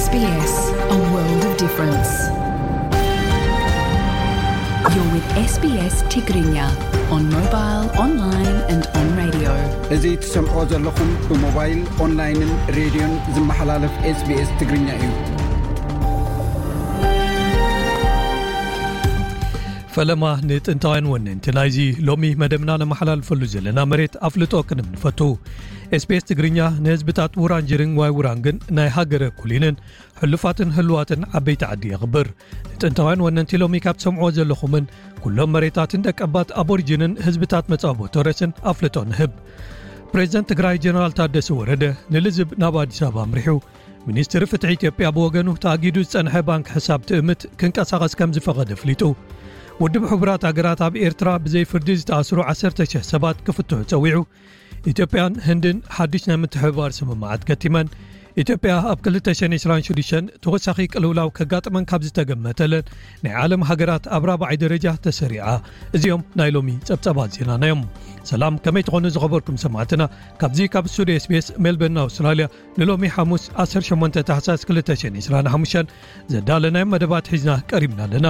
S B S, a world of difference. You're with S B S Tigrinya on mobile, online and on radio. እዚ ትሰምዖ ዘለኹም ብሞባይል፣ ኦንላይንን ሬድዮን ዝመሓላለፍ S B S ትግርኛ እዩ። ፈለማ ንጥንታውያን ወነንቲ ናይዚ ሎሚ መደብና ነመሓላልፈሉ ዘለና መሬት ኣፍልጦ ክንብ ንፈቱ። S B S ትግርኛ ንህዝብታት ውራንጅርን ዋይ ውራንግን ናይ ሃገረ ኩሊንን ሕሉፋትን ህልዋትን ዓበይቲ ዓዲ የኽብር። ንጥንታውያን ወነንቲ ሎሚ ካብ ትሰምዕዎ ዘለኹምን ኩሎም መሬታትን ደቀባት ኣቦሪጂንን ህዝብታት መጻቦ ቶረስን ኣፍልጦ ንህብ። ፕሬዚደንት ትግራይ ጀነራል ታደሰ ወረደ ንልዝብ ናብ ኣዲስ ኣበባ ኣምሪሑ። ሚኒስትሪ ፍትሒ ኢትዮጵያ ብወገኑ ተኣጊዱ ዝጸንሐ ባንክ ሕሳብ ትእምት ክንቀሳቐስ ከም ዝፈቐደ ኣፍሊጡ። ውድብ ሕቡራት ሃገራት ኣብ ኤርትራ ብዘይ ፍርዲ ዝተኣስሩ ዓሰርተ ሽሕ ሰባት ክፍትሑ ጸዊዑ። ኢትዮጵያን ህንድን ሓድሽ ናይ ምትሕብባር ስምምዓት ከቲመን። ኢትዮጵያ ኣብ ክልተ ሽሕን ዕስራን ሽዱሽተን ተወሳኺ ቅልውላው ከጋጥመን ካብ ዝተገመተለን ናይ ዓለም ሃገራት ኣብ ራብዓይ ደረጃ ተሰሪዓ። እዚኦም ናይ ሎሚ ጸብጸባት ዜናና እዮም። ሰላም፣ ከመይ ትኾኑ ዝኸበርኩም ሰማዕትና? ካብዚ ካብ ስቱዲዮ S B S ሜልበርን ኣውስትራልያ ንሎሚ ሓሙስ ዓሰርተ ሸሞንተ ታሕሳስ ክልተ ሽሕን ዕስራን ሓሙሽተን ዘዳለናዮም መደባት ሒዝና ቀሪብና ኣለና።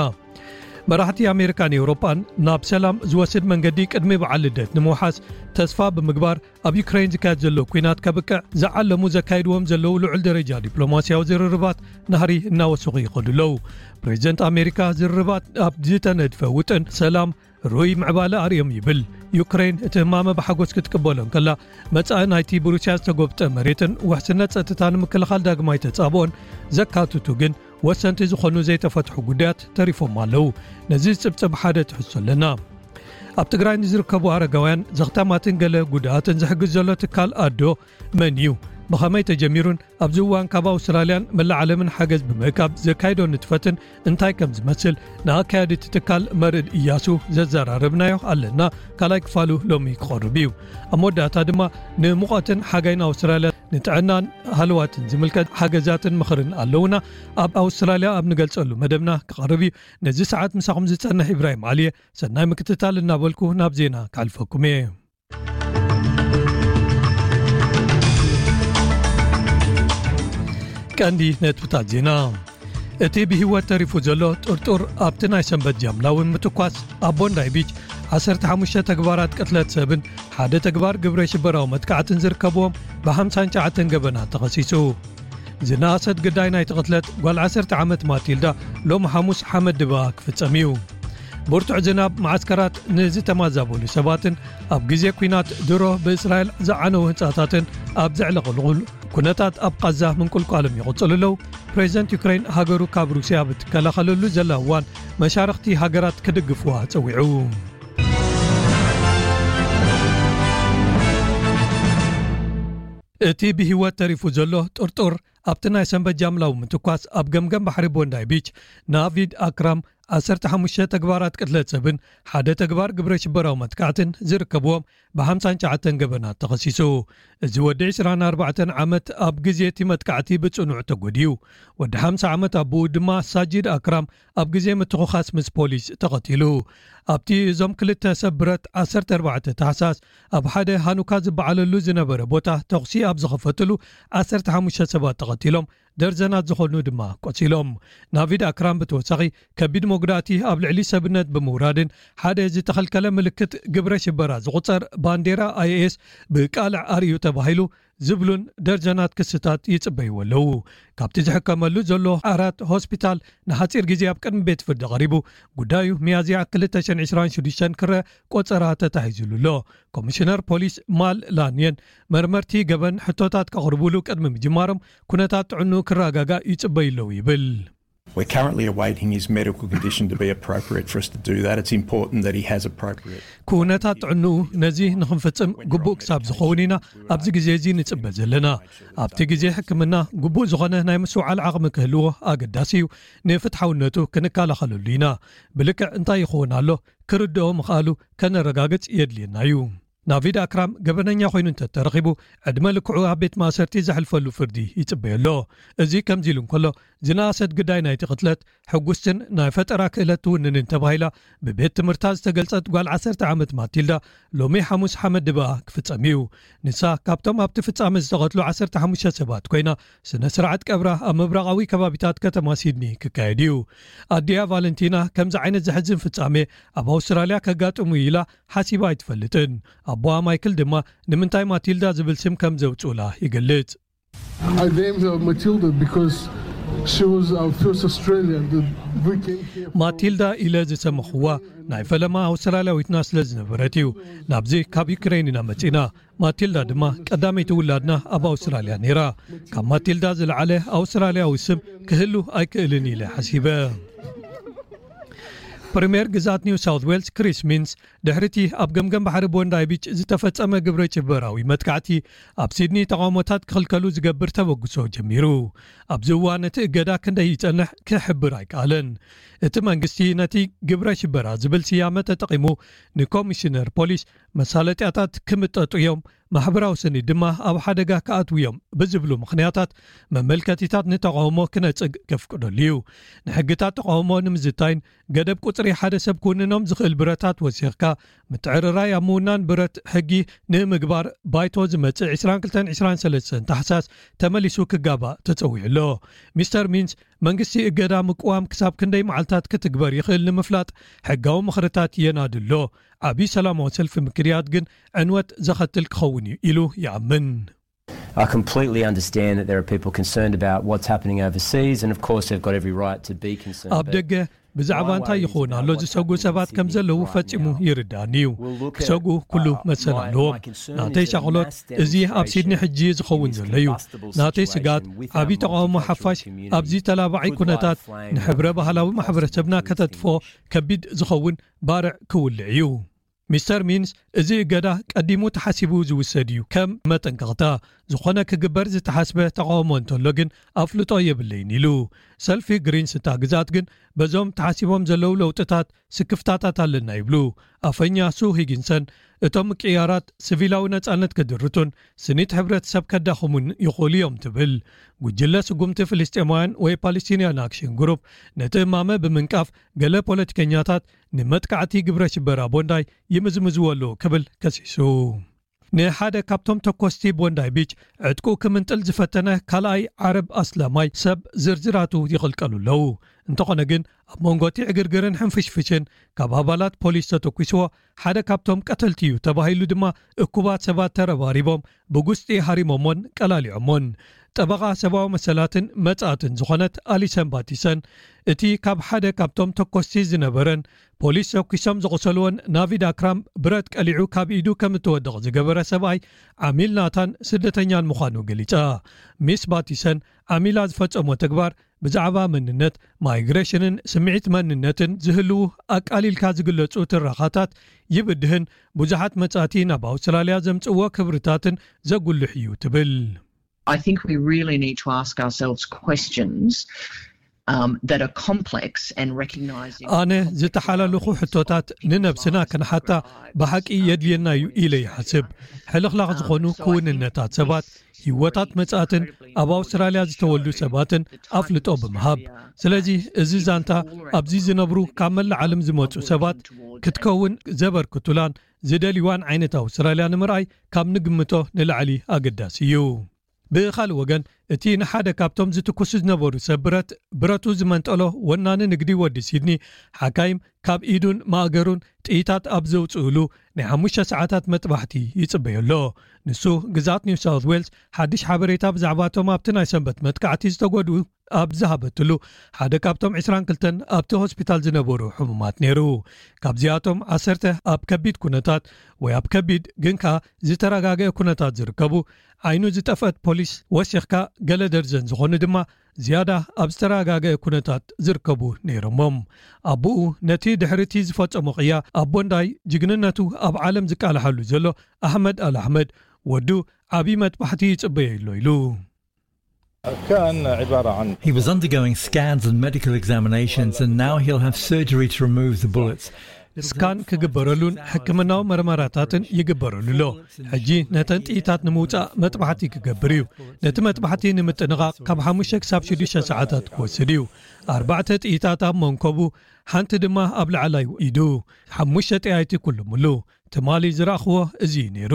መራሕቲ ኣሜሪካን ኤውሮጳን ናብ ሰላም ዝወስድ መንገዲ ቅድሚ በዓል ልደት ንምውሓስ ተስፋ ብምግባር፣ ኣብ ዩክሬን ዝካየድ ዘሎ ኲናት ከብቅዕ ዝዓለሙ ዘካይድዎም ዘለዉ ልዑል ደረጃ ዲፕሎማስያዊ ዝርርባት ናህሪ እናወሰኹ ይኸዱ ኣለዉ። ፕሬዚደንት ኣሜሪካ ዝርርባት ኣብ ዝተነድፈ ውጥን ሰላም ርኡይ ምዕባለ ኣርእዮም ይብል። ዩክሬን እቲ ህማመ ብሓጎስ ክትቅበሎ እንከላ፣ መጻኢ ናይቲ ብሩስያ ዝተጎብጠ መሬትን ውሕስነት ጸጥታ ንምክልኻል ዳግማይ ተጻብኦን ዘካትቱ ግን ወሰንቲ ዝኾኑ ዘይተፈትሑ ጉዳያት ተሪፎም ኣለዉ። ነዚ ዝጽብጽብ ሓደ ትሕዝቶ ኣለና። ኣብ ትግራይ ንዝርከቡ ኣረጋውያን ዘኽታማትን ገለ ጉዳኣትን ዝሕግዝ ዘሎ ትካል ኣዶ መን እዩ? ብኸመይ ተጀሚሩን ኣብዚ እዋን ካብ ኣውስትራልያን መላእ ዓለምን ሓገዝ ብምእካብ ዘካይዶ ንጥፈትን እንታይ ከም ዝመስል ንኣካያዲ እቲ ትካል መርድ እያሱ ዘዘራረብናዮ ኣለና። ካልኣይ ክፋሉ ሎሚ ክቐርብ እዩ። ኣብ መወዳእታ ድማ ንሙቐትን ሓጋይን ኣውስትራልያ ንጥዕናን ሃለዋትን ዝምልከት ሓገዛትን ምኽርን ኣለውና። ኣብ ኣውስትራልያ ኣብ ንገልጸሉ መደብና ክቐርብ እዩ። ነዚ ሰዓት ምሳኹም ዝጸንሕ ኢብራሂም ዓሊ እየ። ሰናይ ምክትታል እናበልኩ ናብ ዜና ከሕልፈኩም እየ። ቀንዲ ነጥብታት ዜና። እቲ ብህይወት ተሪፉ ዘሎ ጥርጡር ኣብቲ ናይ ሰንበት ጃምላዊ ምትኳስ ኣብ ቦንዳይ ቢች ዓሰርተ ሓሙሽተ ተግባራት ቅትለት ሰብን ሓደ ተግባር ግብረ ሽበራዊ መጥቃዕትን ዝርከብዎም ብሓምሳን ትሽዓተን ገበናት ተኸሲሱ። ዝነኣሰት ግዳይ ናይቲ ቅትለት ጓል ዓሰርተ ዓመት ማቲልዳ ሎም ሓሙስ ሓመድ ድባ ክፍጸም እዩ። ብርቱዕ ዝናብ መዓስከራት ንዝተማዛበሉ ሰባትን ኣብ ግዜ ኲናት ድሮ ብእስራኤል ዝዓነው ህንጻታትን ኣብ ዘዕለቕልቑል ኩነታት ኣብ ቃዛ ምንቁልቋሎም ይቕጽሉ ኣለዉ። ፕሬዚደንት ዩክሬን ሃገሩ ካብ ሩስያ ብትከላኸለሉ ዘላ እዋን መሻርኽቲ ሃገራት ክድግፍዋ ጸዊዑ። እቲ ብህይወት ተሪፉ ዘሎ ጥርጡር ኣብቲ ናይ ሰንበት ጃምላዊ ምትኳስ ኣብ ገምገም ባሕሪ ቦንዳይ ቢች ናቪድ ኣክራም ዓሰርተ ሓሙሽተ ተግባራት ቅትለት ሰብን ሓደ ተግባር ግብረ ሽበራዊ መጥቃዕትን ዝርከብዎም ብሓምሳን ትሽዓተን ገበናት ተኸሲሱ። እዚ ወዲ ዕስራን ኣርባዕተን ዓመት ኣብ ግዜ እቲ መጥቃዕቲ ብጽኑዕ ተጎድዩ። ወዲ ሓምሳ ዓመት ኣቦኡ ድማ ሳጂድ ኣክራም ኣብ ግዜ ምትኹኻስ ምስ ፖሊስ ተቐቲሉ። ኣብቲ እዞም ክልተ ሰብ ብረት ዓሰርተ ኣርባዕተ ታሕሳስ ኣብ ሓደ ሃኑካ ዝበዓለሉ ዝነበረ ቦታ ተኹሲ ኣብ ዝኸፈትሉ ዓሰርተ ሓሙሽተ ሰባት ተቐቲሎም፣ ደርዘናት ዝኾኑ ድማ ቆሲሎም። ናቪድ ኣክራም ብተወሳኺ ከቢድ መጉዳእቲ ኣብ ልዕሊ ሰብነት ብምውራድን ሓደ ዝተኸልከለ ምልክት ግብረ ሽበራ ዝቑጸር ባንዴራ ኣይኤስ ብቃልዕ ኣርእዩ ተባሂሉ ዝብሉን ደርዘናት ክስታት ይጽበይዎ ኣለዉ። ካብቲ ዝሕከመሉ ዘሎ ኣራት ሆስፒታል ንሓጺር ግዜ ኣብ ቅድሚ ቤት ፍርዲ ቀሪቡ ጉዳዩ ሚያዝያ ክልተ ሽሕን ዕስራን ሽዱሽተን ክረ ቆጸራ ተታሒዙሉ ኣሎ። ኮሚሽነር ፖሊስ ማል ላንየን መርመርቲ ገበን ሕቶታት ከቕርቡሉ ቅድሚ ምጅማሮም ኩነታት ጥዕንኡ ክረጋጋእ ይጽበዩ ኣለዉ ይብል። We're currently awaiting his medical condition to be appropriate for us to do that. It's important that he has appropriate. ኩነታት ጥዕንኡ ነዚ ንኽንፍጽም ግቡእ ክሳብ ዝኸውን ኢና ኣብዚ ግዜ እዚ ንጽበ ዘለና። ኣብቲ ግዜ ሕክምና ግቡእ ዝኾነ ናይ ምስትውዓል ዓቕሚ ክህልዎ ኣገዳሲ እዩ። ንፍትሓውነቱ ክንከላኸለሉ ኢና። ብልክዕ እንታይ ይኸውን ኣሎ ክርድኦ ምኽኣሉ ከነረጋግጽ የድልየና እዩ። ናቪድ ኣክራም ገበነኛ ኮይኑ እንተተረኺቡ፣ ዕድመ ልክዑ ኣብ ቤት ማእሰርቲ ዘሕልፈሉ ፍርዲ ይጽበዮ ኣሎ። እዚ ከምዚ ኢሉ እንከሎ፣ ዝነኣሰት ግዳይ ናይቲ ቅትለት ሕጉስትን ናይ ፈጠራ ክእለት ትውንንን ተባሂላ ብቤት ትምህርታ ዝተገልጸት ጓል ዓሰርተ ዓመት ማቲልዳ፣ ሎሚ ሓሙስ ሓመድ ድበኣ ክፍጸም እዩ። ንሳ ካብቶም ኣብቲ ፍጻመ ዝተቐትሉ ዓሰርተ ሓሙሽተ ሰባት ኮይና፣ ስነ ስርዓት ቀብራ ኣብ ምብራቓዊ ከባቢታት ከተማ ሲድኒ ክካየድ እዩ። ኣዲኣ ቫለንቲና፣ ከምዚ ዓይነት ዘሕዝን ፍጻሜ ኣብ ኣውስትራልያ ከጋጥሙ ኢላ ሓሲባ ኣይትፈልጥን። ኣቦኣ ማይክል ድማ ንምንታይ ማቲልዳ ዝብል ስም ከም ዘውጽኡላ ይገልጽ። I named her Matilda because she was our first Australian that we came here. ማቲልዳ ኢለ ዝሰመኽዋ ናይ ፈለማ ኣውስትራልያዊትና ስለ ዝነበረት እዩ። ናብዚ ካብ ዩክሬን ኢና መጺና። ማቲልዳ ድማ ቀዳመይቲ ውላድና ኣብ ኣውስትራልያ ነይራ። ካብ ማቲልዳ ዝለዓለ ኣውስትራልያዊ ስም ክህሉ ኣይክእልን ኢለ ሓሲበ። ፕሪምየር ግዛት ኒው ሳውት ዌልስ ክሪስ ሚንስ፣ ድሕሪቲ ኣብ ገምገም ባሕሪ ቦንዳይ ቢች ዝተፈጸመ ግብረ ሽበራዊ መጥቃዕቲ፣ ኣብ ሲድኒ ተቓውሞታት ክኽልከሉ ዝገብር ተበግሶ ጀሚሩ። ኣብዚ እዋን እቲ እገዳ ክንደይ ይጸንሕ ክሕብር ኣይከኣለን። እቲ መንግስቲ ነቲ ግብረ ሽበራ ዝብል ስያመ ተጠቒሙ፣ ንኮሚሽነር ፖሊስ መሳለጥያታት ክምጠጡ እዮም፣ ማሕበራዊ ስኒ ድማ ኣብ ሓደጋ ክኣትዉ እዮም ብዝብሉ ምኽንያታት፣ መመልከቲታት ንተቓውሞ ክነጽግ ከፍቅደሉ እዩ። ንሕግታት ተቓውሞ ንምዝታይን ገደብ ቁጽሪ ሓደ ሰብ ክውንኖም ዝኽእል ብረታት ወሲኽካ፣ ምትዕርራይ ኣብ ምውናን ብረት ሕጊ ንምግባር ባይቶ ዝመጽእ ዕስራን ክልተን ዕስራን ሰለስተን ታሕሳስ ተመሊሱ ክጋባእ ተጸዊዑ ኣሎ። ሚስተር ሚንስ፣ መንግስቲ እገዳ ምቅዋም ክሳብ ክንደይ መዓልታት ክትግበር ይኽእል ንምፍላጥ ሕጋዊ ምኽርታት የናድሎ። ዓብዪ ሰላማዊ ሰልፊ ምክንያት ግን ዕንወት ዘኸትል ክኸውን እዩ ኢሉ ይኣምን። I completely understand that there are people concerned about what's happening overseas, and of course they've got every right to be concerned. ኣብ ደገ ብዛዕባ እንታይ ይኸውን ኣሎ ዝሰጉ ሰባት ከም ዘለዉ ፈጺሙ ይርዳእኒ እዩ። ክሰጉ ኩሉ መሰል ኣለዎም። ናተይ ሻቕሎት እዚ ኣብ ሲድኒ ሕጂ ዝኸውን ዘሎ እዩ። ናተይ ስጋት ዓብዪ ተቓውሞ ሓፋሽ ኣብዚ ተላባዒ ኩነታት ንሕብረ ባህላዊ ማሕበረሰብና ከተጥፎ ከቢድ ዝኸውን ባርዕ ክውልዕ እዩ። ሚስተር ሚንስ፣ እዚ እገዳ ቀዲሙ ተሓሲቡ ዝውሰድ እዩ፣ ከም መጠንቀቕታ። ዝኾነ ክግበር ዝተሓስበ ተቓውሞ እንተሎ ግን ኣፍልጦ የብለይን ኢሉ። ሰልፊ ግሪንስ እታ ግዛት ግን በዞም ተሓሲቦም ዘለዉ ለውጥታት ስክፍታታት ኣለና ይብሉ። ኣፈኛ ሱ ሂጊንሰን፣ እቶም ምቅያራት ሲቪላዊ ነጻነት ክድርቱን ስኒት ሕብረተሰብ ከዳኽሙን ይኽእሉ እዮም ትብል። ጉጅለ ስጉምቲ ፍልስጤማውያን ወይ ፓለስቲንያን ኣክሽን ግሩፕ ነቲ እማመ ብምንቃፍ፣ ገለ ፖለቲከኛታት ንመጥቃዕቲ ግብረ ሽበራ ቦንዳይ ይምዝምዝዎ ኣለዉ ክብል ከሲሱ። ንሓደ ካብቶም ተኮስቲ ቦንዳይ ቢች ዕጥቁ ክምንጥል ዝፈተነ ካልኣይ ዓረብ ኣስላማይ ሰብ ዝርዝራቱ ይቕልቀሉ ኣለዉ። እንተኾነ ግን ኣብ መንጎ እቲ ዕግርግርን ሕንፍሽፍሽን ካብ ኣባላት ፖሊስ ተተኩስዎ ሓደ ካብቶም ቀተልቲ እዩ ተባሂሉ ድማ እኩባት ሰባት ተረባሪቦም ብጉስጢ ሃሪሞሞን ቀላሊዖሞን። ጠበቓ ሰብኣዊ መሰላትን መጻእትን ዝኾነት ኣሊሰን ባቲሰን እቲ ካብ ሓደ ካብቶም ተኮስቲ ዝነበረን ፖሊስ ተኩሶም ዘቑሰልዎን ናቪድ ኣክራም ብረት ቀሊዑ ካብ ኢዱ ከም እትወድቕ ዝገበረ ሰብኣይ ዓሚል ናታን ስደተኛን ምዃኑ ገሊጻ። ሚስ ባቲሰን ዓሚላ ዝፈጸሞ ተግባር ብዛዕባ መንነት፣ ማይግሬሽንን ስምዒት መንነትን ዝህልዉ ኣቃሊልካ ዝግለጹ ትረኻታት ይብድህን ብዙሓት መጻእቲ ናብ ኣውስትራልያ ዘምጽእዎ ክብርታትን ዘጉልሕ እዩ ትብል። I think we really need to ask ourselves questions um, that are complex and recognising. ኣነ ዝተሓላለኹ ሕቶታት ንነብስና ክንሓታ ብሓቂ የድልየና እዩ ኢለ ይሓስብ። ሕልኽላኽ ዝኾኑ ክውንነታት ሰባት፣ ህይወታት መጻእትን ኣብ ኣውስትራልያ ዝተወልዱ ሰባትን ኣፍልጦ ብምሃብ። ስለዚ እዚ ዛንታ ኣብዚ ዝነብሩ ካብ መላእ ዓለም ዝመጹ ሰባት ክትከውን ዘበርክቱላን ዝደልይዋን ዓይነት ኣውስትራልያ ንምርኣይ ካብ ንግምቶ ንላዕሊ ኣገዳሲ እዩ። ብኻልእ ወገን፣ እቲ ንሓደ ካብቶም ዝትኩሱ ዝነበሩ ሰብ ብረት ብረቱ ዝመንጠሎ ወናኒ ንግዲ ወዲ ሲድኒ ሓካይም ካብ ኢዱን ማእገሩን ጥይታት ኣብ ዘውፅእሉ ናይ ሓሙሽተ ሰዓታት መጥባሕቲ ይፅበዮ ኣሎ። ንሱ ግዛት ኒው ሳውት ዌልስ ሓድሽ ሓበሬታ ብዛዕባቶም ኣብቲ ናይ ሰንበት መጥቃዕቲ ዝተጎድኡ ኣብ ዝሃበትሉ ሓደ ካብቶም ዕስራን ክልተን ኣብቲ ሆስፒታል ዝነበሩ ሕሙማት ነይሩ። ካብዚኣቶም ዓሰርተ ኣብ ከቢድ ኩነታት ወይ ኣብ ከቢድ ግን ከኣ ዝተረጋገአ ኩነታት ዝርከቡ ዓይኑ ዝጠፍአት ፖሊስ ወሲኽካ ገለ ደርዘን ዝኾኑ ድማ ዝያዳ ኣብ ዝተረጋገአ ኩነታት ዝርከቡ ነይሮሞም። ኣቦኡ ነቲ ድሕሪቲ ዝፈጸሞ ቅያ ኣብ ቦንዳይ ጅግንነቱ ኣብ ዓለም ዝቃልሓሉ ዘሎ ኣሕመድ ኣል ኣሕመድ ወዱ ዓብዪ መጥባሕቲ ይጽበዮ ኣሎ ኢሉ። كان عبارة عن He was undergoing scans and medical examinations, and now he'll have surgery to remove the bullets. ስካን ክግበረሉን ሕክምናዊ መርመራታትን ይግበረሉ ኣሎ። ሕጂ ነተን ጥይታት ንምውጻእ መጥባሕቲ ክገብር እዩ። ነቲ መጥባሕቲ ንምጥንቓቕ ካብ ሓሙሽተ ክሳብ ሽዱሽተ ሰዓታት ክወስድ እዩ። ኣርባዕተ ጥይታት ኣብ መንኮቡ፣ ሓንቲ ድማ ኣብ ላዕላይ ኢዱ፣ ሓሙሽተ ጠያይቲ ኩሉምሉ። ትማሊ ዝረኣኽዎ እዚ እዩ ነይሩ።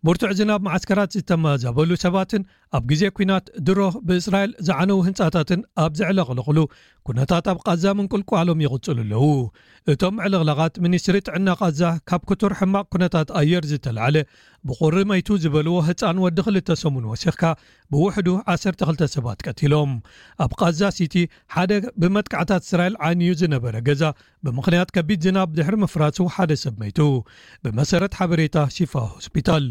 ብርቱዕ ዝናብ፣ መዓስከራት ዝተመዛበሉ ሰባትን ኣብ ግዜ ኲናት ድሮ ብእስራኤል ዝዓነዉ ህንጻታትን ኣብ ዘዕለቕለቕሉ ኩነታት፣ ኣብ ቃዛ ምንቁልቋሎም ይቕጽሉ ኣለዉ። እቶም ዕልቕላቓት፣ ሚኒስትሪ ጥዕና ቃዛ ካብ ክቱር ሕማቕ ኩነታት ኣየር ዝተላዕለ፣ ብቑሪ መይቱ ዝበልዎ ህጻን ወዲ ክልተ ሰሙን ወሲኽካ፣ ብውሕዱ ዓሰርተ ክልተ ሰባት ቀቲሎም። ኣብ ቃዛ ሲቲ፣ ሓደ ብመጥቃዕታት እስራኤል ዓንዩ ዝነበረ ገዛ ብምኽንያት ከቢድ ዝናብ ድሕሪ ምፍራሱ ሓደ ሰብ መይቱ፣ ብመሰረት ሓበሬታ ሺፋ ሆስፒታል።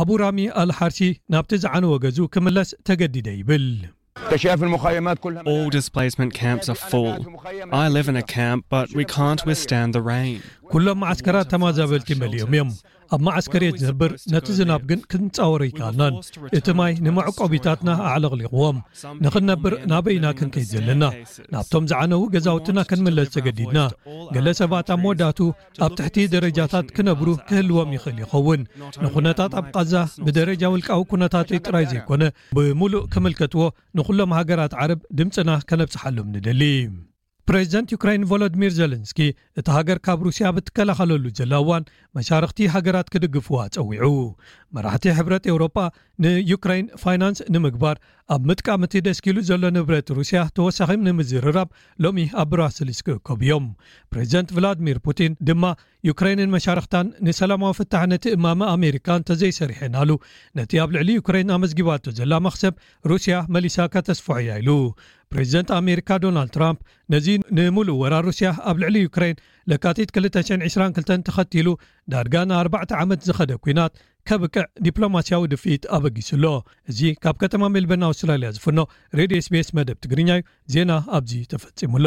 ኣቡ ራሚ ኣልሓርሲ ናብቲ ዝዓነወ ገዝኡ ክምለስ ተገዲደ ይብል። All displacement camps are full. I live in a camp, but we can't withstand the rain. ኩሎም መዓስከራት ተመዛበልቲ መሊኦም እዮም። ኣብ መዓስከር እየ ዝነብር፣ ነቲ ዝናብ ግን ክንጻወሮ ኣይከኣልናን። እቲ ማይ ንመዕቆቢታትና ኣዕለቕሊቕዎም። ንኽንነብር ናበይ ኢና ክንከይድ ዘለና? ናብቶም ዝዓነዉ ገዛውትና ክንምለስ ተገዲድና። ገለ ሰባት ኣብ መወዳእቱ ኣብ ትሕቲ ደረጃታት ክነብሩ ክህልዎም ይኽእል ይኸውን። ንኹነታት ኣብ ቃዛ ብደረጃ ውልቃዊ ኩነታተይ ጥራይ ዘይኮነ፣ ብምሉእ ክምልከትዎ፣ ንኹሎም ሃገራት ዓረብ ድምጽና ከነብጽሓሎም ንደሊ። ፕሬዚደንት ዩክራይን ቮሎዲሚር ዜለንስኪ፣ እታ ሃገር ካብ ሩስያ ብትከላኸለሉ ዘላ እዋን፣ መሻርኽቲ ሃገራት ክድግፍዋ ጸዊዑ። መራሕቲ ሕብረት ኤውሮጳ ንዩክራይን ፋይናንስ ንምግባር ኣብ ምጥቃም እቲ ደስኪሉ ዘሎ ንብረት ሩስያ ተወሳኺ ንምዝርራብ ሎሚ ኣብ ብራስልስ ክእከቡ እዮም። ፕሬዚደንት ቭላድሚር ፑቲን ድማ፣ ዩክራይንን መሻርኽታን ንሰላማዊ ፍታሕ ነቲ እማመ ኣሜሪካ እንተዘይሰሪሐናሉ፣ ነቲ ኣብ ልዕሊ ዩክራይን ኣመዝጊባቶ ዘላ መኽሰብ ሩስያ መሊሳ ከተስፍሖ እያ ኢሉ። ፕሬዚደንት ኣሜሪካ ዶናልድ ትራምፕ ነዚ ንምሉእ ወራር ሩስያ ኣብ ልዕሊ ዩክራይን ለካቲት ክልተ ሽሕን ዕስራን ክልተን ተኸቲሉ ዳርጋ ንኣርባዕተ ዓመት ዝኸደ ኲናት ከብቅዕ ዲፕሎማስያዊ ድፍኢት ኣበጊሱ ኣሎ። እዚ ካብ ከተማ ሜልበርን ኣውስትራልያ ዝፍኖ ሬድዮ ኤስቢኤስ መደብ ትግርኛ እዩ። ዜና ኣብዚ ተፈጺሙ ኣሎ።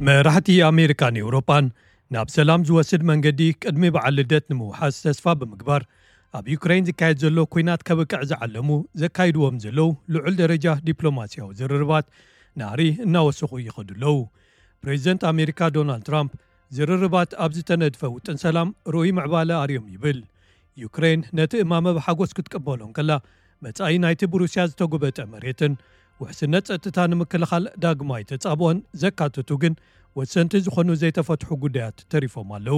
መራሕቲ ኣሜሪካን ኤውሮጳን ናብ ሰላም ዝወስድ መንገዲ ቅድሚ በዓል ልደት ንምውሓስ ተስፋ ብምግባር፣ ኣብ ዩክሬን ዝካየድ ዘሎ ኲናት ከብቅዕ ዝዓለሙ ዘካይድዎም ዘለዉ ልዑል ደረጃ ዲፕሎማስያዊ ዝርርባት ናህሪ እናወሰኹ ይኸዱ ኣለዉ። ፕሬዚደንት ኣሜሪካ ዶናልድ ትራምፕ፣ ዝርርባት ኣብ ዝተነድፈ ውጥን ሰላም ርኡይ ምዕባለ ኣርዮም ይብል። ዩክሬን ነቲ እማመ ብሓጎስ ክትቅበሎ እንከላ፣ መጻኢ ናይቲ ብሩስያ ዝተጎበጠ መሬትን ውሕስነት ጸጥታ ንምክልኻል ዳግማይ ተጻብኦን ዘካተቱ ግን ወሰንቲ ዝኾኑ ዘይተፈትሑ ጉዳያት ተሪፎም ኣለዉ።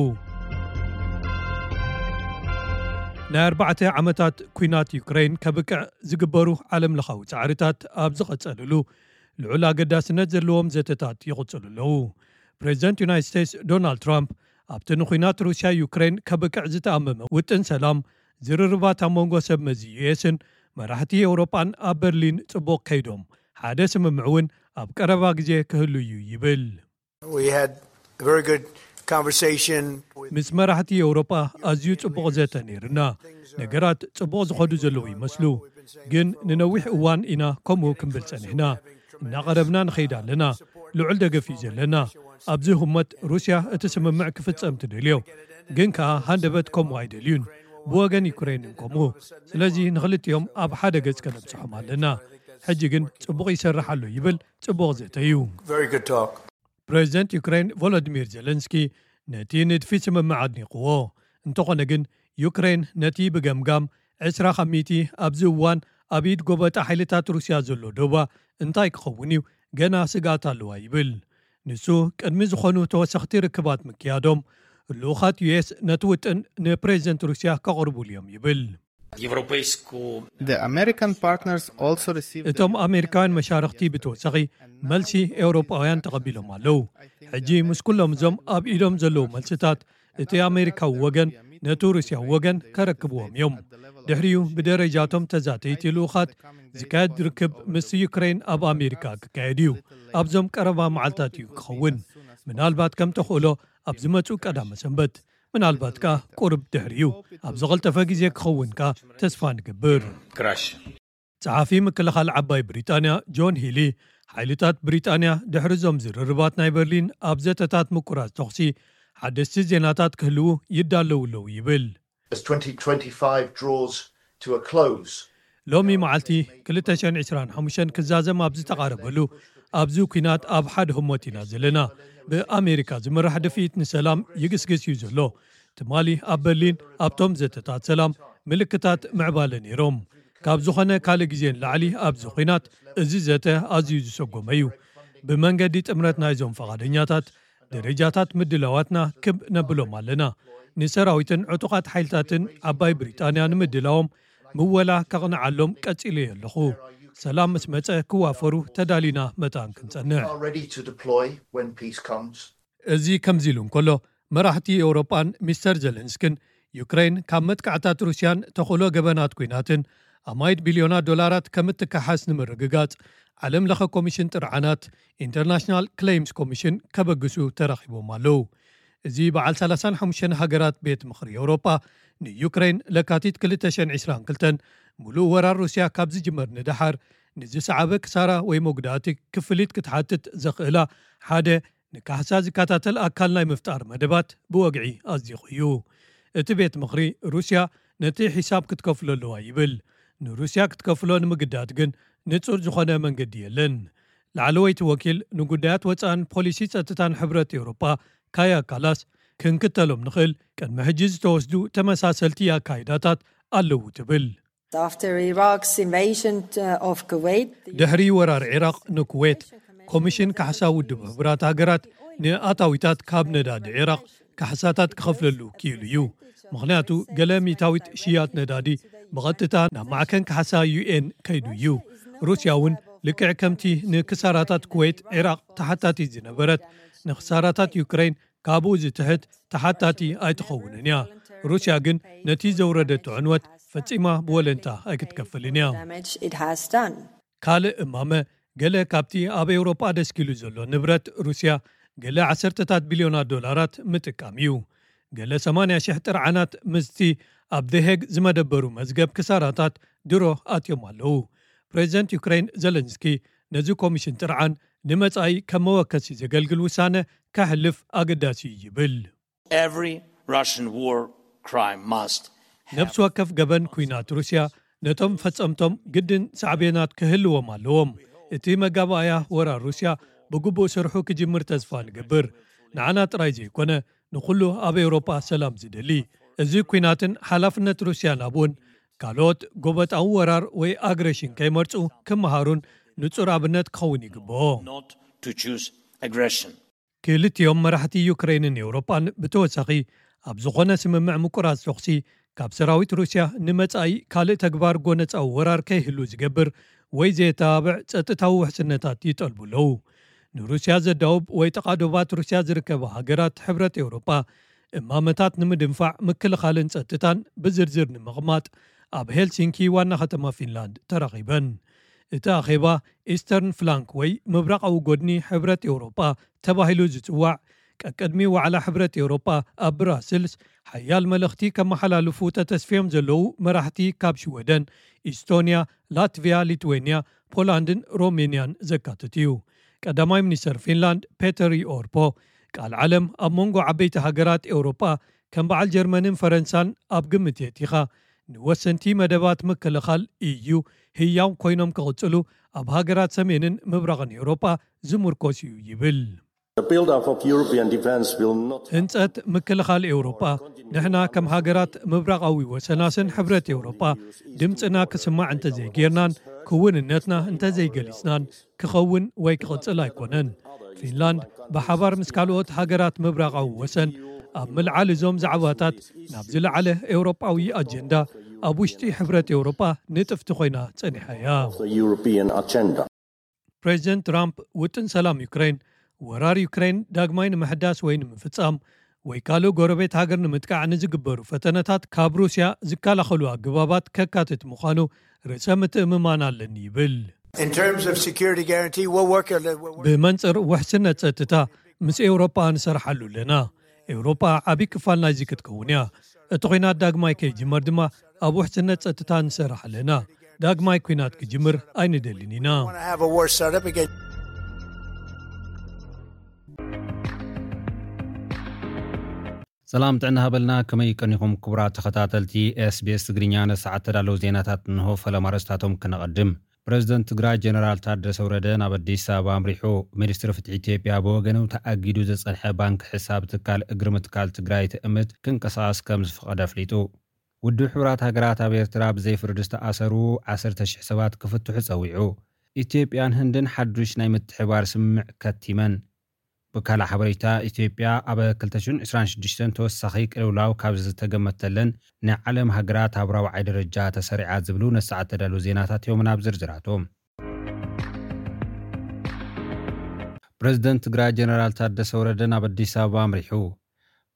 ናይ ኣርባዕተ ዓመታት ኲናት ዩክሬን ከብቅዕ ዝግበሩ ዓለምለኻዊ ጻዕርታት ኣብ ዝቐጸልሉ፣ ልዑል ኣገዳስነት ዘለዎም ዘተታት ይቕጽሉ ኣለዉ። ፕሬዚደንት ዩናይትድ ስቴትስ ዶናልድ ትራምፕ፣ ኣብቲ ንኲናት ሩስያ ዩክሬን ከብቅዕ ዝተኣመመ ውጥን ሰላም፣ ዝርርባት ኣብ መንጎ ሰብ መዚ ዩኤስን መራሕቲ ኤውሮጳን ኣብ በርሊን ጽቡቕ ከይዶም፣ ሓደ ስምምዕ እውን ኣብ ቀረባ ግዜ ክህሉ እዩ ይብል። We had a very good conversation with ምስ መራሕቲ ኤውሮጳ ኣዝዩ ጽቡቕ ዘተ ነይርና። ነገራት ጽቡቕ ዝኸዱ ዘለዉ ይመስሉ፣ ግን ንነዊሕ እዋን ኢና ከምኡ ክንብል ጸኒሕና። እናቐረብና ንኸይድ ኣለና። ልዑል ደገፍ እዩ ዘለና። ኣብዚ ህሞት ሩስያ እቲ ስምምዕ ክፍጸም ትደልዮ፣ ግን ከኣ ሃንደበት ከምኡ ኣይደልዩን። ብወገን ዩክሬንን ከምኡ። ስለዚ ንኽልቲኦም ኣብ ሓደ ገጽ ከነብጽሖም ኣለና። ሕጂ ግን ጽቡቕ ይሰርሕ ኣሎ ይብል። ጽቡቕ ዘተ እዩ። Very good talk. ፕሬዚደንት ዩክሬን ቮሎዲሚር ዜለንስኪ ነቲ ንድፊ ስምምዕ ኣድኒቕዎ። እንተኾነ ግን፣ ዩክሬን ነቲ ብገምጋም ዕስራ ካብ ሚእቲ ኣብዚ እዋን ኣብ ኢድ ጎበጣ ሓይልታት ሩስያ ዘሎ ዶባ እንታይ ክኸውን እዩ፣ ገና ስግኣት ኣለዋ ይብል። ንሱ፣ ቅድሚ ዝኾኑ ተወሰኽቲ ርክባት ምክያዶም፣ ልኡኻት ዩኤስ ነቲ ውጥን ንፕሬዚደንት ሩስያ ከቕርቡሉ እዮም ይብል። Европейскую The American partners also received እቶም ኣሜሪካውያን መሻርኽቲ ብተወሳኺ መልሲ ኤውሮጳውያን ተቐቢሎም ኣለዉ። ሕጂ ምስ ኩሎም እዞም ኣብ ኢዶም ዘለዉ መልስታት፣ እቲ ኣሜሪካዊ ወገን ነቲ ሩስያዊ ወገን ከረክብዎም እዮም። ድሕሪኡ ብደረጃቶም ተዛተይቲ ልኡኻት ዝካየድ ርክብ ምስ ዩክሬን ኣብ ኣሜሪካ ክካየድ እዩ። ኣብዞም ቀረባ መዓልታት እዩ ክኸውን። ምናልባት ከም ተኽእሎ ኣብ ዝመጹ ቀዳመ ሰንበት፣ ምናልባት ከኣ ቁሩብ ድሕሪኡ። ኣብ ዝቐልጠፈ ግዜ ክኸውን ከኣ ተስፋ ንገብር። краще. ጸሓፊ ምክልኻል ዓባይ ብሪጣንያ ጆን ሂሊ፣ ሓይልታት ብሪጣንያ ድሕሪ እዞም ዝርርባት ናይ በርሊን ኣብ ዘተታት ምቁራጽ ተኹሲ ሓደስቲ ዜናታት ክህልዉ ይዳለዉ ኣለዉ ይብል። As twenty twenty-five draws to a close, ሎሚ መዓልቲ ክልተ ሽሕን ዕስራን ሓሙሽተን ክዛዘም ኣብ ዝተቓረበሉ ኣብዚ ኲናት ኣብ ሓደ ህሞት ኢና ዘለና። ብኣሜሪካ ዝምራሕ ድፍኢት ንሰላም ይግስግስ እዩ ዘሎ። ትማሊ ኣብ በርሊን ኣብቶም ዘተታት ሰላም ምልክታት ምዕባለ ነይሮም። ካብ ዝኾነ ካልእ ግዜ ንላዕሊ ኣብዚ ኲናት እዚ ዘተ ኣዝዩ ዝሰጎመ እዩ። ብመንገዲ ጥምረት ናይዞም ፈቓደኛታት ደረጃታት ምድላዋትና ክብ ነብሎም ኣለና። ንሰራዊትን ዕጡቓት ሓይልታትን ዓባይ ብሪጣንያ ንምድላዎም ምወላ ከቕንዓሎም ቀጺለ ኣለኹ። ሰላም ምስ መጸ ክዋፈሩ ተዳሊና መታን ክንጸንዕ። Are ready to deploy when peace comes. እዚ ከምዚ ኢሉ እንከሎ፣ መራሕቲ ኤውሮጳን ሚስተር ዘለንስክን ዩክሬን ካብ መጥቃዕታት ሩስያን ተኽእሎ ገበናት ኲናትን ኣማይት ቢልዮናት ዶላራት ከም እትከሓስ ንምርግጋጽ ዓለም ለኸ ኮሚሽን ጥርዓናት ኢንተርናሽናል ክሌይምስ ኮሚሽን ከበግሱ ተራኺቦም ኣለዉ። እዚ በዓል ሰላሳን ሓሙሽተን ሃገራት ቤት ምኽሪ ኤውሮጳ ንዩክሬን ለካቲት ክልተ ሽሕን ዕስራን ክልተን ሙሉእ ወራር ሩስያ ካብ ዝጅመር ንደሓር ንዝሰዓበ ክሳራ ወይ መጉዳእቲ ክፍሊት ክትሓትት ዘኽእላ ሓደ ንካሕሳ ዝከታተል ኣካል ናይ ምፍጣር መደባት ብወግዒ ኣጽዲቑ እዩ። እቲ ቤት ምኽሪ ሩስያ ነቲ ሒሳብ ክትከፍሎ ኣለዋ ይብል። ንሩስያ ክትከፍሎ ንምግዳድ ግን ንጹር ዝኾነ መንገዲ የለን። ላዕለወይቲ ወኪል ንጉዳያት ወጻእን ፖሊሲ ጸጥታን ሕብረት ኤውሮጳ ካያ ካላስ ክንክተሎም ንኽእል ቅድሚ ሕጂ ዝተወስዱ ተመሳሰልቲ ኣካይዳታት ኣለዉ ትብል። After Iraq's invasion uh, of Kuwait, the ድሕሪ ወራር ዒራቕ ንኩዌት ኮሚሽን ካሕሳ ውድብ ሕቡራት ሃገራት ንኣታዊታት ካብ ነዳዲ ዒራቕ ካሕሳታት ክኸፍለሉ ክኢሉ እዩ። ምኽንያቱ ገለ ሚእታዊት ሽያጥ ነዳዲ ብቐጥታ ናብ ማዕከን ካሕሳ ዩ ኤን ከይዱ እዩ። ሩስያ እውን ልክዕ ከምቲ ንክሳራታት ኩዌት ዒራቕ ተሓታቲት ዝነበረት ንክሳራታት ዩክሬን ካብኡ ዝትሕት ተሓታቲ ኣይትኸውንን እያ። ሩስያ ግን ነቲ ዘውረደቶ ዕንወት ፈጺማ ብወለንታ ኣይክትከፍልን እያ። damage it has done. ካልእ እማመ ገለ ካብቲ ኣብ ኤውሮጳ ደስኪሉ ዘሎ ንብረት ሩስያ ገለ ዓሰርተታት ቢልዮናት ዶላራት ምጥቃም እዩ። ገለ ሰማንያ ሽሕ ጥርዓናት ምስቲ ኣብ ደሄግ ዝመደበሩ መዝገብ ክሳራታት ድሮ ኣትዮም ኣለዉ። ፕሬዚደንት ዩክሬን ዘለንስኪ ነዚ ኮሚሽን ጥርዓን ንመጻኢ ከም መወከሲ ዘገልግል ውሳነ ከሕልፍ ኣገዳሲ እዩ ይብል። Every Russian war crime must ነብሲ ወከፍ ገበን ኲናት ሩስያ ነቶም ፈጸምቶም ግድን ሳዕቤናት ክህልዎም ኣለዎም። እቲ መጋባእያ ወራር ሩስያ ብግቡእ ስርሑ ክጅምር ተስፋ ንገብር። ንዓና ጥራይ ዘይኮነ ንኹሉ ኣብ ኤውሮጳ ሰላም ዝደሊ። እዚ ኲናትን ሓላፍነት ሩስያ ናብ እውን ካልኦት ጎበጣዊ ወራር ወይ ኣግሬሽን ከይመርጹ ክመሃሩን ንጹር ኣብነት ክኸውን ይግብኦ። not to choose aggression. ክልቲኦም መራሕቲ ዩክሬንን ኤውሮጳን ብተወሳኺ ኣብ ዝኾነ ስምምዕ ምቁራጽ ተኹሲ ካብ ሰራዊት ሩስያ ንመጻኢ ካልእ ተግባር ጎነጻዊ ወራር ከይህሉ ዝገብር ወይ ዘየተባብዕ ጸጥታዊ ውሕስነታት ይጠልቡ ኣለዉ። ንሩስያ ዘዳውብ ወይ ጠቓዶባት ሩስያ ዝርከባ ሃገራት ሕብረት ኤውሮጳ እማመታት ንምድንፋዕ ምክልኻልን ጸጥታን ብዝርዝር ንምቕማጥ ኣብ ሄልሲንኪ ዋና ከተማ ፊንላንድ ተራኺበን። እቲ ኣኼባ ኢስተርን ፍላንክ ወይ ምብራቓዊ ጎድኒ ሕብረት ኤውሮጳ ተባሂሉ ዝጽዋዕ ቀቅድሚ ዋዕላ ሕብረት ኤውሮጳ ኣብ ብራስልስ ሓያል መልእኽቲ ከመሓላልፉ ተተስፍዮም ዘለዉ መራሕቲ ካብ ሽወደን፣ ኢስቶንያ፣ ላትቪያ፣ ሊትዌንያ፣ ፖላንድን ሮሜንያን ዘካትት እዩ። ቀዳማይ ሚኒስተር ፊንላንድ ፔተሪ ኦርፖ ቃል ዓለም ኣብ መንጎ ዓበይቲ ሃገራት ኤውሮጳ ከም በዓል ጀርመንን ፈረንሳን ኣብ ግምት የእቲኻ ንወሰንቲ መደባት ምክልኻል ኢዩ ህያው ኮይኖም ክቕጽሉ ኣብ ሃገራት ሰሜንን ምብራቕን ኤውሮጳ ዝምርኮስ እዩ ይብል። The build-up of European defense will not ህንጸት ምክልኻል ኤውሮጳ ንሕና ከም ሃገራት ምብራቓዊ ወሰናስን ሕብረት ኤውሮጳ ድምፅና ክስማዕ እንተዘይጌርናን ክውንነትና እንተዘይገሊጽናን ክኸውን ወይ ክቕጽል ኣይኮነን። ፊንላንድ ብሓባር ምስ ካልኦት ሃገራት ምብራቓዊ ወሰን ኣብ ምልዓል እዞም ዛዕባታት ናብ ዝለዓለ ኤውሮጳዊ ኣጀንዳ ኣብ ውሽጢ ሕብረት ኤውሮጳ ንጥፍቲ ኮይና ጸኒሓ እያ። the European agenda. ፕሬዚደንት ትራምፕ ውጥን ሰላም ዩክሬን ወራር ዩክሬን ዳግማይ ንምሕዳስ ወይ ንምፍጻም ወይ ካልእ ጎረቤት ሃገር ንምጥቃዕ ንዝግበሩ ፈተነታት ካብ ሩስያ ዝከላኸሉ ኣገባባት ከካትት ምዃኑ ርእሰ ምትእምማን ኣለኒ ይብል። In terms of security guarantee, we'll work. We'll work. ብመንጽር ውሕስነት ጸጥታ ምስ ኤውሮጳ ንሰርሓሉ ኣለና። ኤውሮጳ ዓቢ ክፋል ናይዚ ክትከውን እያ። እቲ ኲናት ዳግማይ ከይጅመር ድማ ኣብ ውሕስነት ጸጥታ ንሰርሕ ኣለና። ዳግማይ ኲናት ክጅምር ኣይንደልን ኢና። Want to have a war startup again? ሰላም ጥዕና ሃበልና፣ ከመይ ቀኒኹም ክቡራት ተኸታተልቲ ኤስቢኤስ ትግርኛ? ነሰዓት ተዳለዉ ዜናታት እንሆ። ፈለማ ርእስታቶም ክነቐድም። ፕረዚደንት ትግራይ ጀነራል ታደሰ ወረደ ናብ ኣዲስ ኣበባ ኣምሪሑ። ሚኒስትሪ ፍትሒ ኢትዮጵያ ብወገኑ ተኣጊዱ ዝጸንሐ ባንክ ሕሳብ ትካል እግሪ ምትካል ትግራይ ትእምት ክንቀሳቐስ ከም ዝፈቐደ ኣፍሊጡ። ውድብ ሕቡራት ሃገራት ኣብ ኤርትራ ብዘይ ፍርዲ ዝተኣሰሩ ዓሰርተ ሽሕ ሰባት ክፍትሑ ጸዊዑ። ኢትዮጵያን ህንድን ሓዱሽ ናይ ምትሕባር ስምምዕ ከቲመን። ብካልእ ሓበሬታ፣ ኢትዮጵያ ኣብ ክልተ ሽሕን ዕስራን ሽዱሽተን ተወሳኺ ቅልውላው ካብ ዝተገመተለን ናይ ዓለም ሃገራት ኣብ ራብዓይ ደረጃ ተሰሪዓ ዝብሉ ነሰዓት ተዳሉ ዜናታት እዮም። ናብ ዝርዝራቶም። ፕረዚደንት ትግራይ ጀነራል ታደሰ ወረደ ናብ ኣዲስ ኣበባ ኣምሪሑ።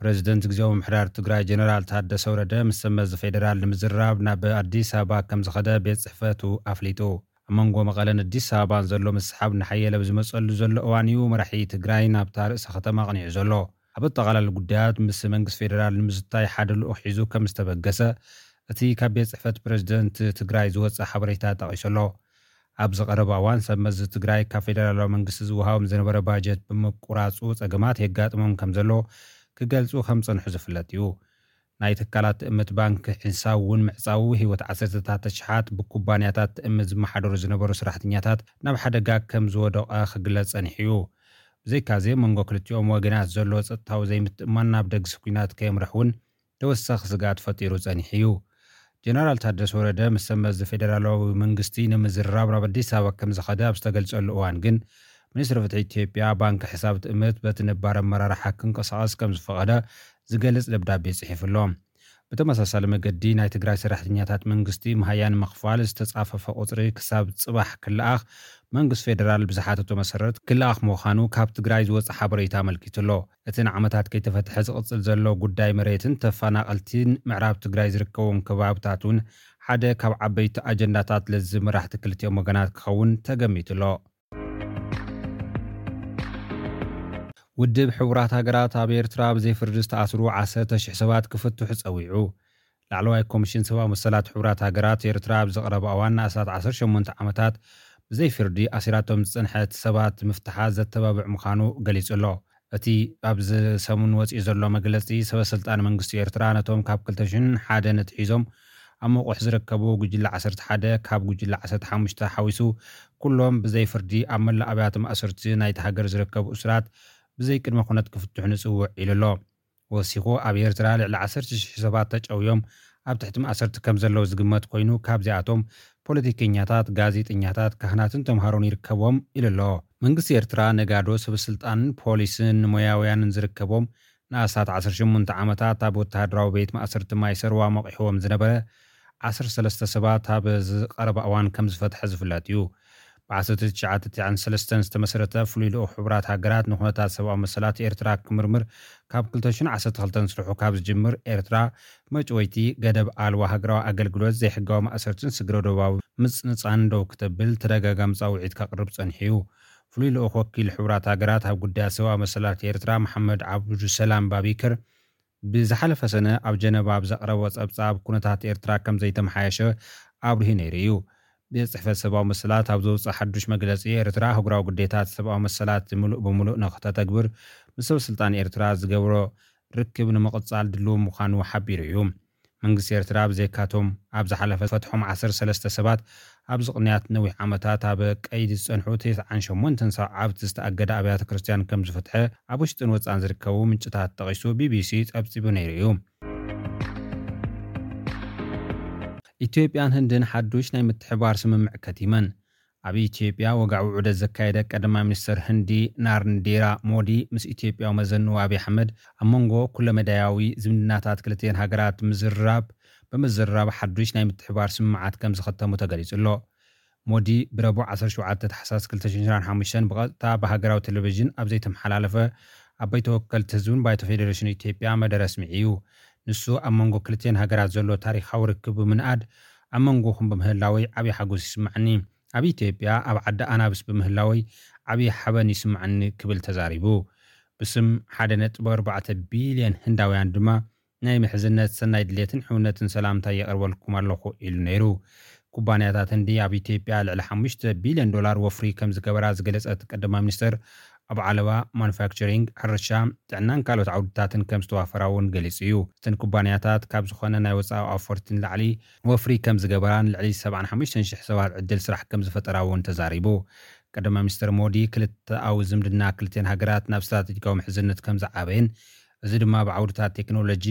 ፕረዚደንት ግዜያዊ ምምሕዳር ትግራይ ጀነራል ታደሰ ወረደ ምስ ሰመዚ ፌደራል ንምዝራብ ናብ ኣዲስ ኣበባ ከም ዝኸደ ቤት ጽሕፈቱ ኣፍሊጡ። ኣብ መንጎ መቐለን ኣዲስ ኣበባን ዘሎ ምስሓብ ንሓየለ ብዝመጸሉ ዘሎ እዋን እዩ መራሒ ትግራይ ናብታ ርእሰ ከተማ ኣቕኒዑ ዘሎ። ኣብ ኣጠቓላሊ ጉዳያት ምስ መንግስቲ ፌደራል ንምዝታይ ሓደ ልኡኽ ሒዙ ከም ዝተበገሰ እቲ ካብ ቤት ጽሕፈት ፕረዚደንት ትግራይ ዝወጸ ሓበሬታ ጠቒሱ ኣሎ። ኣብዚ ቀረባ እዋን ሰብ መዚ ትግራይ ካብ ፌደራላዊ መንግስቲ ዝወሃቦም ዝነበረ ባጀት ብምቁራጹ ጸገማት የጋጥሞም ከም ዘሎ ክገልጹ ከም ጸንሑ ዝፍለጥ እዩ። ናይ ትካላት ትእምት ባንክ ሕሳብ እውን ምዕጻዉ ህይወት ዓሰርተታት ኣሽሓት ብኩባንያታት ትእምት ዝመሓደሩ ዝነበሩ ሰራሕተኛታት ናብ ሓደጋ ከም ዝወደቐ ክግለጽ ጸኒሑ እዩ። ብዘይካዚ መንጎ ክልቲኦም ወገናት ዘሎ ጸጥታዊ ዘይምትእማን ናብ ደግሲ ኲናት ከየምርሕ እውን ተወሳኺ ስግኣት ፈጢሩ ጸኒሑ እዩ። ጀነራል ታደሰ ወረደ ምስ ሰብ መዚ ፌደራላዊ መንግስቲ ንምዝርራብ ናብ ኣዲስ ኣበባ ከም ዝኸደ ኣብ ዝተገልጸሉ እዋን ግን ሚኒስትሪ ፍትሒ ኢትዮጵያ ባንኪ ሕሳብ ትእምት በቲ ነባር ኣመራርሓ ክንቀሳቐስ ከም ዝፈቐደ ዝገልጽ ደብዳቤ ጽሒፉ ኣሎ። ብተመሳሳሊ መገዲ ናይ ትግራይ ሰራሕተኛታት መንግስቲ መሃያ ንምኽፋል ዝተጻፈፈ ቁጽሪ ክሳብ ጽባሕ ክለኣኽ መንግስቲ ፌደራል ብዝሓተቶ መሰረት ክለኣኽ ምዃኑ ካብ ትግራይ ዝወጸ ሓበሬታ ኣመልኪቱ ኣሎ። እቲ ንዓመታት ከይተፈትሐ ዝቕጽል ዘሎ ጉዳይ መሬትን ተፈናቐልትን ምዕራብ ትግራይ ዝርከቦም ከባብታት እውን ሓደ ካብ ዓበይቲ ኣጀንዳታት ለዝብ መራሕቲ ክልቲኦም ወገናት ክኸውን ተገሚቱ ኣሎ። ውድብ ሕቡራት ሃገራት ኣብ ኤርትራ ብዘይ ፍርዲ ዝተኣስሩ ዓሰርተ ሽሕ ሰባት ክፍትሑ ጸዊዑ። ላዕለዋይ ኮሚሽን ሰብኣዊ መሰላት ሕቡራት ሃገራት ኤርትራ ኣብ ዝቐረበ እዋን ንኣስታት ዓሰርተ ሸሞንተ ዓመታት ብዘይ ፍርዲ ኣሲራቶም ዝጸንሐት ሰባት ምፍትሓ ዘተባብዕ ምዃኑ ገሊጹ ኣሎ። እቲ ኣብዚ ሰሙን ወጺኡ ዘሎ መግለጺ፣ ሰበ ስልጣን መንግስቲ ኤርትራ ነቶም ካብ ክልተ ሽሕን ሓደን ኣትሒዞም ኣብ መቑሕ ዝርከቡ ጉጅለ ዓሰርተ ሓደ ካብ ጉጅለ ዓሰርተ ሓሙሽተ ሓዊሱ ኩሎም ብዘይ ፍርዲ ኣብ መላእ ኣብያተ ማእሰርቲ ናይቲ ሃገር ዝርከቡ እሱራት ብዘይ ቅድመ ኩነት ክፍትሑ ንጽውዕ ኢሉ ኣሎ። ወሲኹ፣ ኣብ ኤርትራ ልዕሊ ዓሰርተ ሽሕ ሰባት ተጨውዮም ኣብ ትሕቲ ማእሰርቲ ከም ዘለዉ ዝግመት ኮይኑ፣ ካብዚኣቶም ፖለቲከኛታት፣ ጋዜጠኛታት፣ ካህናትን ተምሃሮን ይርከብዎም ኢሉ ኣሎ። መንግስቲ ኤርትራ ነጋዶ፣ ሰበ ስልጣንን ፖሊስን ሞያውያንን ዝርከቦም ንኣስታት ዓሰርተ ሸሞንተ ዓመታት ኣብ ወተሃደራዊ ቤት ማእሰርቲ ማይ ሰርዋ መቒሕዎም ዝነበረ ዓሰርተ ሰለስተ ሰባት ኣብ ዝቐረባ እዋን ከም ዝፈትሐ ዝፍለጥ እዩ። ብ ዓሰርተ ትሽዓተ ትሽዓን ሰለስተን ዝተመስረተ ፍሉይ ልኡኽ ሕቡራት ሃገራት ንኩነታት ሰብኣዊ መሰላት ኤርትራ ክምርምር ካብ ክልተ ሽሕን ዓሰርተ ክልተን ስርሑ ካብ ዝጅምር ኤርትራ መጭወይቲ፣ ገደብ ኣልቦ ሃገራዊ ኣገልግሎት፣ ዘይሕጋዊ ማእሰርትን ስግረ ዶባዊ ምጽንጻን ደው ክተብል ተደጋጋሚ ጻውዒት ከቕርብ ጸኒሑ እዩ። ፍሉይ ልኡኽ ወኪል ሕቡራት ሃገራት ኣብ ጉዳያት ሰብኣዊ መሰላት ኤርትራ መሓመድ ዓብዱሰላም ባቢከር ብዝሓለፈ ሰነ ኣብ ጀነቫ ኣብ ዘቕረቦ ጸብጻብ ኩነታት ኤርትራ ከም ዘይተመሓየሸ ኣብሪሁ ነይሩ እዩ። ቤት ጽሕፈት ሰብኣዊ መሰላት ኣብ ዘውፅኦ ሓዱሽ መግለጺ፣ ኤርትራ ኣህጉራዊ ግዴታት ሰብኣዊ መሰላት ምሉእ ብምሉእ ንክተተግብር ምስ ሰበ ስልጣን ኤርትራ ዝገብሮ ርክብ ንምቕጻል ድልው ምዃኑ ሓቢሩ እዩ። መንግስቲ ኤርትራ ብዘይካቶም ኣብ ዝሓለፈ ፈትሖም ዓሰርተ ሰለስተ ሰባት ኣብዚ ቅንያት ነዊሕ ዓመታት ኣብ ቀይዲ ዝጸንሑ ተስዓን ሸሞንተን ሰዓብቲ ዝተኣገደ ኣብያተ ክርስቲያን ከም ዝፈትሐ ኣብ ውሽጥን ወጻን ዝርከቡ ምንጭታት ጠቒሱ ቢቢሲ ጸብጺቡ ነይሩ እዩ። ኢትዮጵያን ህንድን ሓዱሽ ናይ ምትሕባር ስምምዕ ከቲመን። ኣብ ኢትዮጵያ ወግዓዊ ዑደት ዘካየደ ቀዳማይ ሚኒስተር ህንዲ ናርንዴራ ሞዲ ምስ ኢትዮጵያዊ መዘንኡ ኣብይ ኣሕመድ ኣብ መንጎ ኩለመዳያዊ ዝምድናታት ክልቲኤን ሃገራት ምዝርራብ፣ ብምዝርራብ ሓዱሽ ናይ ምትሕባር ስምምዓት ከም ዝኸተሙ ተገሊጹ ኣሎ። ሞዲ ብረቡዕ ዓሰርተ ሸውዓተ ታሕሳስ ክልተ ሽሕን ዕስራን ሓሙሽተን ብቐጥታ ብሃገራዊ ቴሌቪዥን ኣብ ዘይተመሓላለፈ ኣብ ባይቶ ወከልቲ ህዝብን ባይቶ ፌዴሬሽን ኢትዮጵያ መደረ ኣስሚዑ እዩ። ንሱ ኣብ መንጎ ክልቲኤን ሃገራት ዘሎ ታሪኻዊ ርክብ ብምንኣድ ኣብ መንጎኹም ብምህላወይ ዓብዪ ሓጎስ ይስምዓኒ። ኣብ ኢትዮጵያ ኣብ ዓዲ ኣናብስ ብምህላወይ ዓብዪ ሓበን ይስምዓኒ ክብል ተዛሪቡ። ብስም ሓደ ነጥቢ ኣርባዕተ ቢልዮን ህንዳውያን ድማ ናይ ምሕዝነት ሰናይ ድሌትን ሕውነትን ሰላምታ የቕርበልኩም ኣለኹ ኢሉ ነይሩ። ኩባንያታት ህንዲ ኣብ ኢትዮጵያ ልዕሊ ሓሙሽተ ቢልዮን ዶላር ወፍሪ ከም ዝገበራ ዝገለጸት ቀዳማይ ሚኒስተር ኣብ ዓለባ ማኑፋክቸሪንግ፣ ሕርሻ፣ ጥዕናን ካልኦት ዓውድታትን ከም ዝተዋፈራ እውን ገሊጹ እዩ። እተን ኩባንያታት ካብ ዝኾነ ናይ ወጻኢ ኣፈርቲ ንላዕሊ ወፍሪ ከም ዝገበራን ልዕሊ ሰብዓን ሓሙሽተን ሽሕ ሰባት ዕድል ስራሕ ከም ዝፈጠራ እውን ተዛሪቡ። ቀዳማይ ሚኒስትር ሞዲ ክልተኣዊ ዝምድና ክልቲኣን ሃገራት ናብ ስትራቴጂካዊ ምሕዝነት ከም ዝዓበየን፣ እዚ ድማ ብዓውድታት ቴክኖሎጂ፣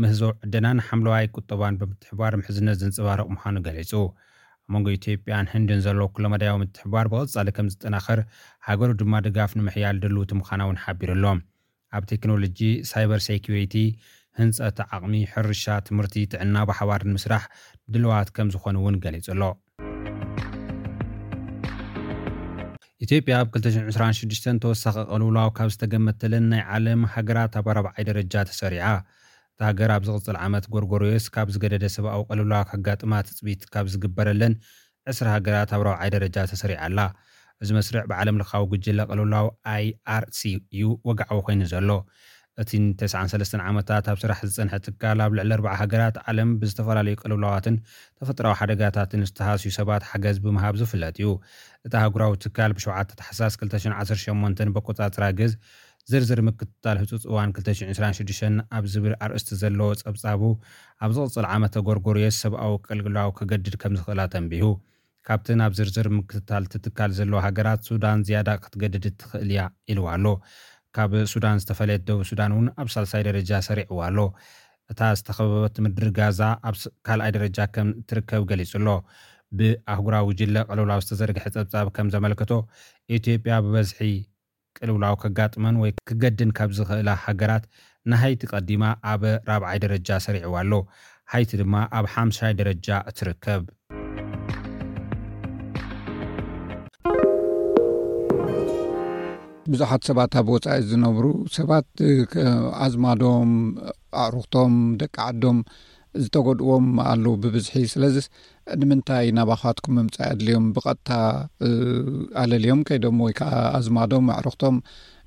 ምህዞ ዕደናን ሓምለዋይ ቁጠባን ብምትሕብባር ምሕዝነት ዘንጸባርቕ ምዃኑ ገሊጹ። ኣብ መንጎ ኢትዮጵያን ህንድን ዘሎ ኩለመዳያዊ ምትሕብባር ብቐጻሊ ከም ዝጠናኸር፣ ሃገሩ ድማ ድጋፍ ንምሕያል ድልውቲ ምዃና እውን ሓቢሩ ኣሎ። ኣብ ቴክኖሎጂ፣ ሳይበር ሴኩሪቲ፣ ህንጸት ዓቕሚ፣ ሕርሻ፣ ትምህርቲ፣ ጥዕና ብሓባር ንምስራሕ ድልዋት ከም ዝኾኑ እውን ገሊጹ ኣሎ። ኢትዮጵያ ኣብ ክልተ ሽሕን ዕስራን ሽዱሽተን ተወሳኺ ቅልውላው ካብ ዝተገመተለን ናይ ዓለም ሃገራት ኣብ ኣራብዓይ ደረጃ ተሰሪዓ። እታ ሃገር ኣብ ዝቕጽል ዓመት ጎርጎርዮስ ካብ ዝገደደ ሰብኣዊ ቅልውላው ከጋጥማ ትጽቢት ካብ ዝግበረለን ዕስራ ሃገራት ኣብ ራብዓይ ደረጃ ተሰሪዓ ኣላ። እዚ መስርዕ ብዓለም ለኻዊ ጉጅለ ቅልውላው ኣይ ኣር ሲ እዩ ወግዓዊ ኮይኑ ዘሎ። እቲ ንተስዓን ሰለስተን ዓመታት ኣብ ስራሕ ዝጸንሐ ትካል ኣብ ልዕሊ ኣርባዓ ሃገራት ዓለም ብዝተፈላለዩ ቅልውላዋትን ተፈጥሮኣዊ ሓደጋታትን ዝተሃስዩ ሰባት ሓገዝ ብምሃብ ዝፍለጥ እዩ። እቲ ኣህጉራዊ ትካል ብሸውዓተ ታሕሳስ ክልተ ሽሕን ዓሰርተ ሸሞንተን በቆጻጽራ ግዝ ዝርዝር ምክትታል ህጹጽ እዋን ክልተ ሽሕን ዕስራን ሽዱሽተን ኣብ ዝብል ኣርእስቲ ዘለዎ ጸብጻቡ፣ ኣብ ዝቕጽል ዓመተ ጎርጎርዮስ ሰብኣዊ ቅልውላው ከገድድ ከም ዝኽእል ኣተንቢሁ። ካብተን ኣብ ዝርዝር ምክትታል እቲ ትካል ዘለዋ ሃገራት፣ ሱዳን ዝያዳ ክትገድድ ትኽእል እያ ኢልዋ ኣሎ። ካብ ሱዳን ዝተፈለየት ደቡብ ሱዳን እውን ኣብ ሳልሳይ ደረጃ ሰሪዕዋ ኣሎ። እታ ዝተኸበበት ምድሪ ጋዛ ኣብ ስ-፣ ካልኣይ ደረጃ ከም ትርከብ ገሊጹ ኣሎ። ብኣህጉራዊ ጉጅለ ቅልውላው ዝተዘርግሐ ጸብጻብ ከም ዘመልከቶ፣ ኢትዮጵያ ብበዝሒ ቅልውላው ከጋጥመን ወይ ክገድን ካብ ዝኽእላ ሃገራት ንሃይቲ ቀዲማ ኣብ ራብዓይ ደረጃ ሰሪዕዋ ኣሎ። ሃይቲ ድማ ኣብ ሓምሻይ ደረጃ ትርከብ። ብዙሓት ሰባት ኣብ ወጻኢ ዝነብሩ ሰባት፣ እ፣ ከ-፣ ኣዝማዶም፣ ኣዕሩኽቶም፣ ደቂ ዓዶም ዝተጎድዎም ኣለዉ ብብዝሒ። ስለዚስ ንምንታይ ናባኻትኩም ምምጻእ ኣድልዮም? ብቐጥታ፣ እ፣ ኣለልዮም ከይዶም ወይ ከኣ ኣዝማዶም፣ ኣዕሩኽቶም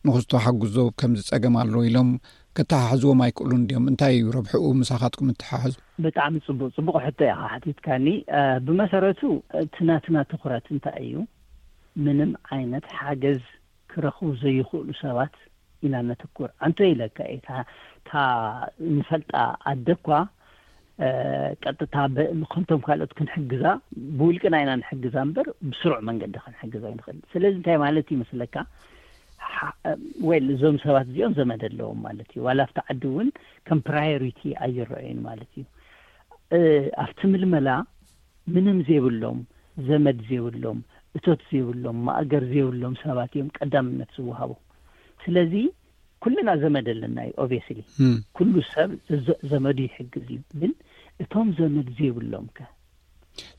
ንኽስቶ ሓግዞ ከምዚ ጸገም ኣሎ ኢሎም ከተሓሕዝዎም ኣይክእሉን ድዮም? እንታይ እዩ ረብሕኡ ምሳኻትኩም እተሓሕዙ? ብጣዕሚ ጽቡቕ፣ ጽቡቕ ሕቶ ኢኻ ሓቲትካኒ። እ፣ ብመሰረቱ እቲ ናትና ትኹረት እንታይ እዩ? ምንም ዓይነት ሓገዝ ክረኽቡ ዘይኽእሉ ሰባት ኢና ነተኩር። ኣንቶ ኢለካ እየ፣ እታ፣ እታ ንፈልጣ ኣደ እኳ፣ እ፣ ቀጥታ በ-፣ ከምቶም ካልኦት ክንሕግዛ ብውልቅና ኢና ንሕግዛ እምበር ብስሩዕ መንገዲ ክንሕግዛ ኣይንኽእል። ስለዚ እንታይ ማለት ይመስለካ? ሓ-፣ ዌል፣ እዞም ሰባት እዚኦም ዘመድ ኣለዎም ማለት እዩ። ዋላ ኣብቲ ዓዲ እውን ከም ፕራዮሪቲ ኣይረኣዩን ማለት እዩ። እ፣ ኣብቲ ምልመላ ምንም ዘይብሎም፣ ዘመድ ዘይብሎም፣ እቶት ዘይብሎም፣ ማእገር ዘይብሎም ሰባት እዮም ቀዳምነት ዝወሃቦ። ስለዚ ኩልና ዘመድ ኣለና እዩ፣ ኦብቪየስሊ። እም። ኩሉ ሰብ ዘ-፣ ዘመዱ ይሕግዝ እዩ። ግን እቶም ዘመድ ዘይብሎም ከ?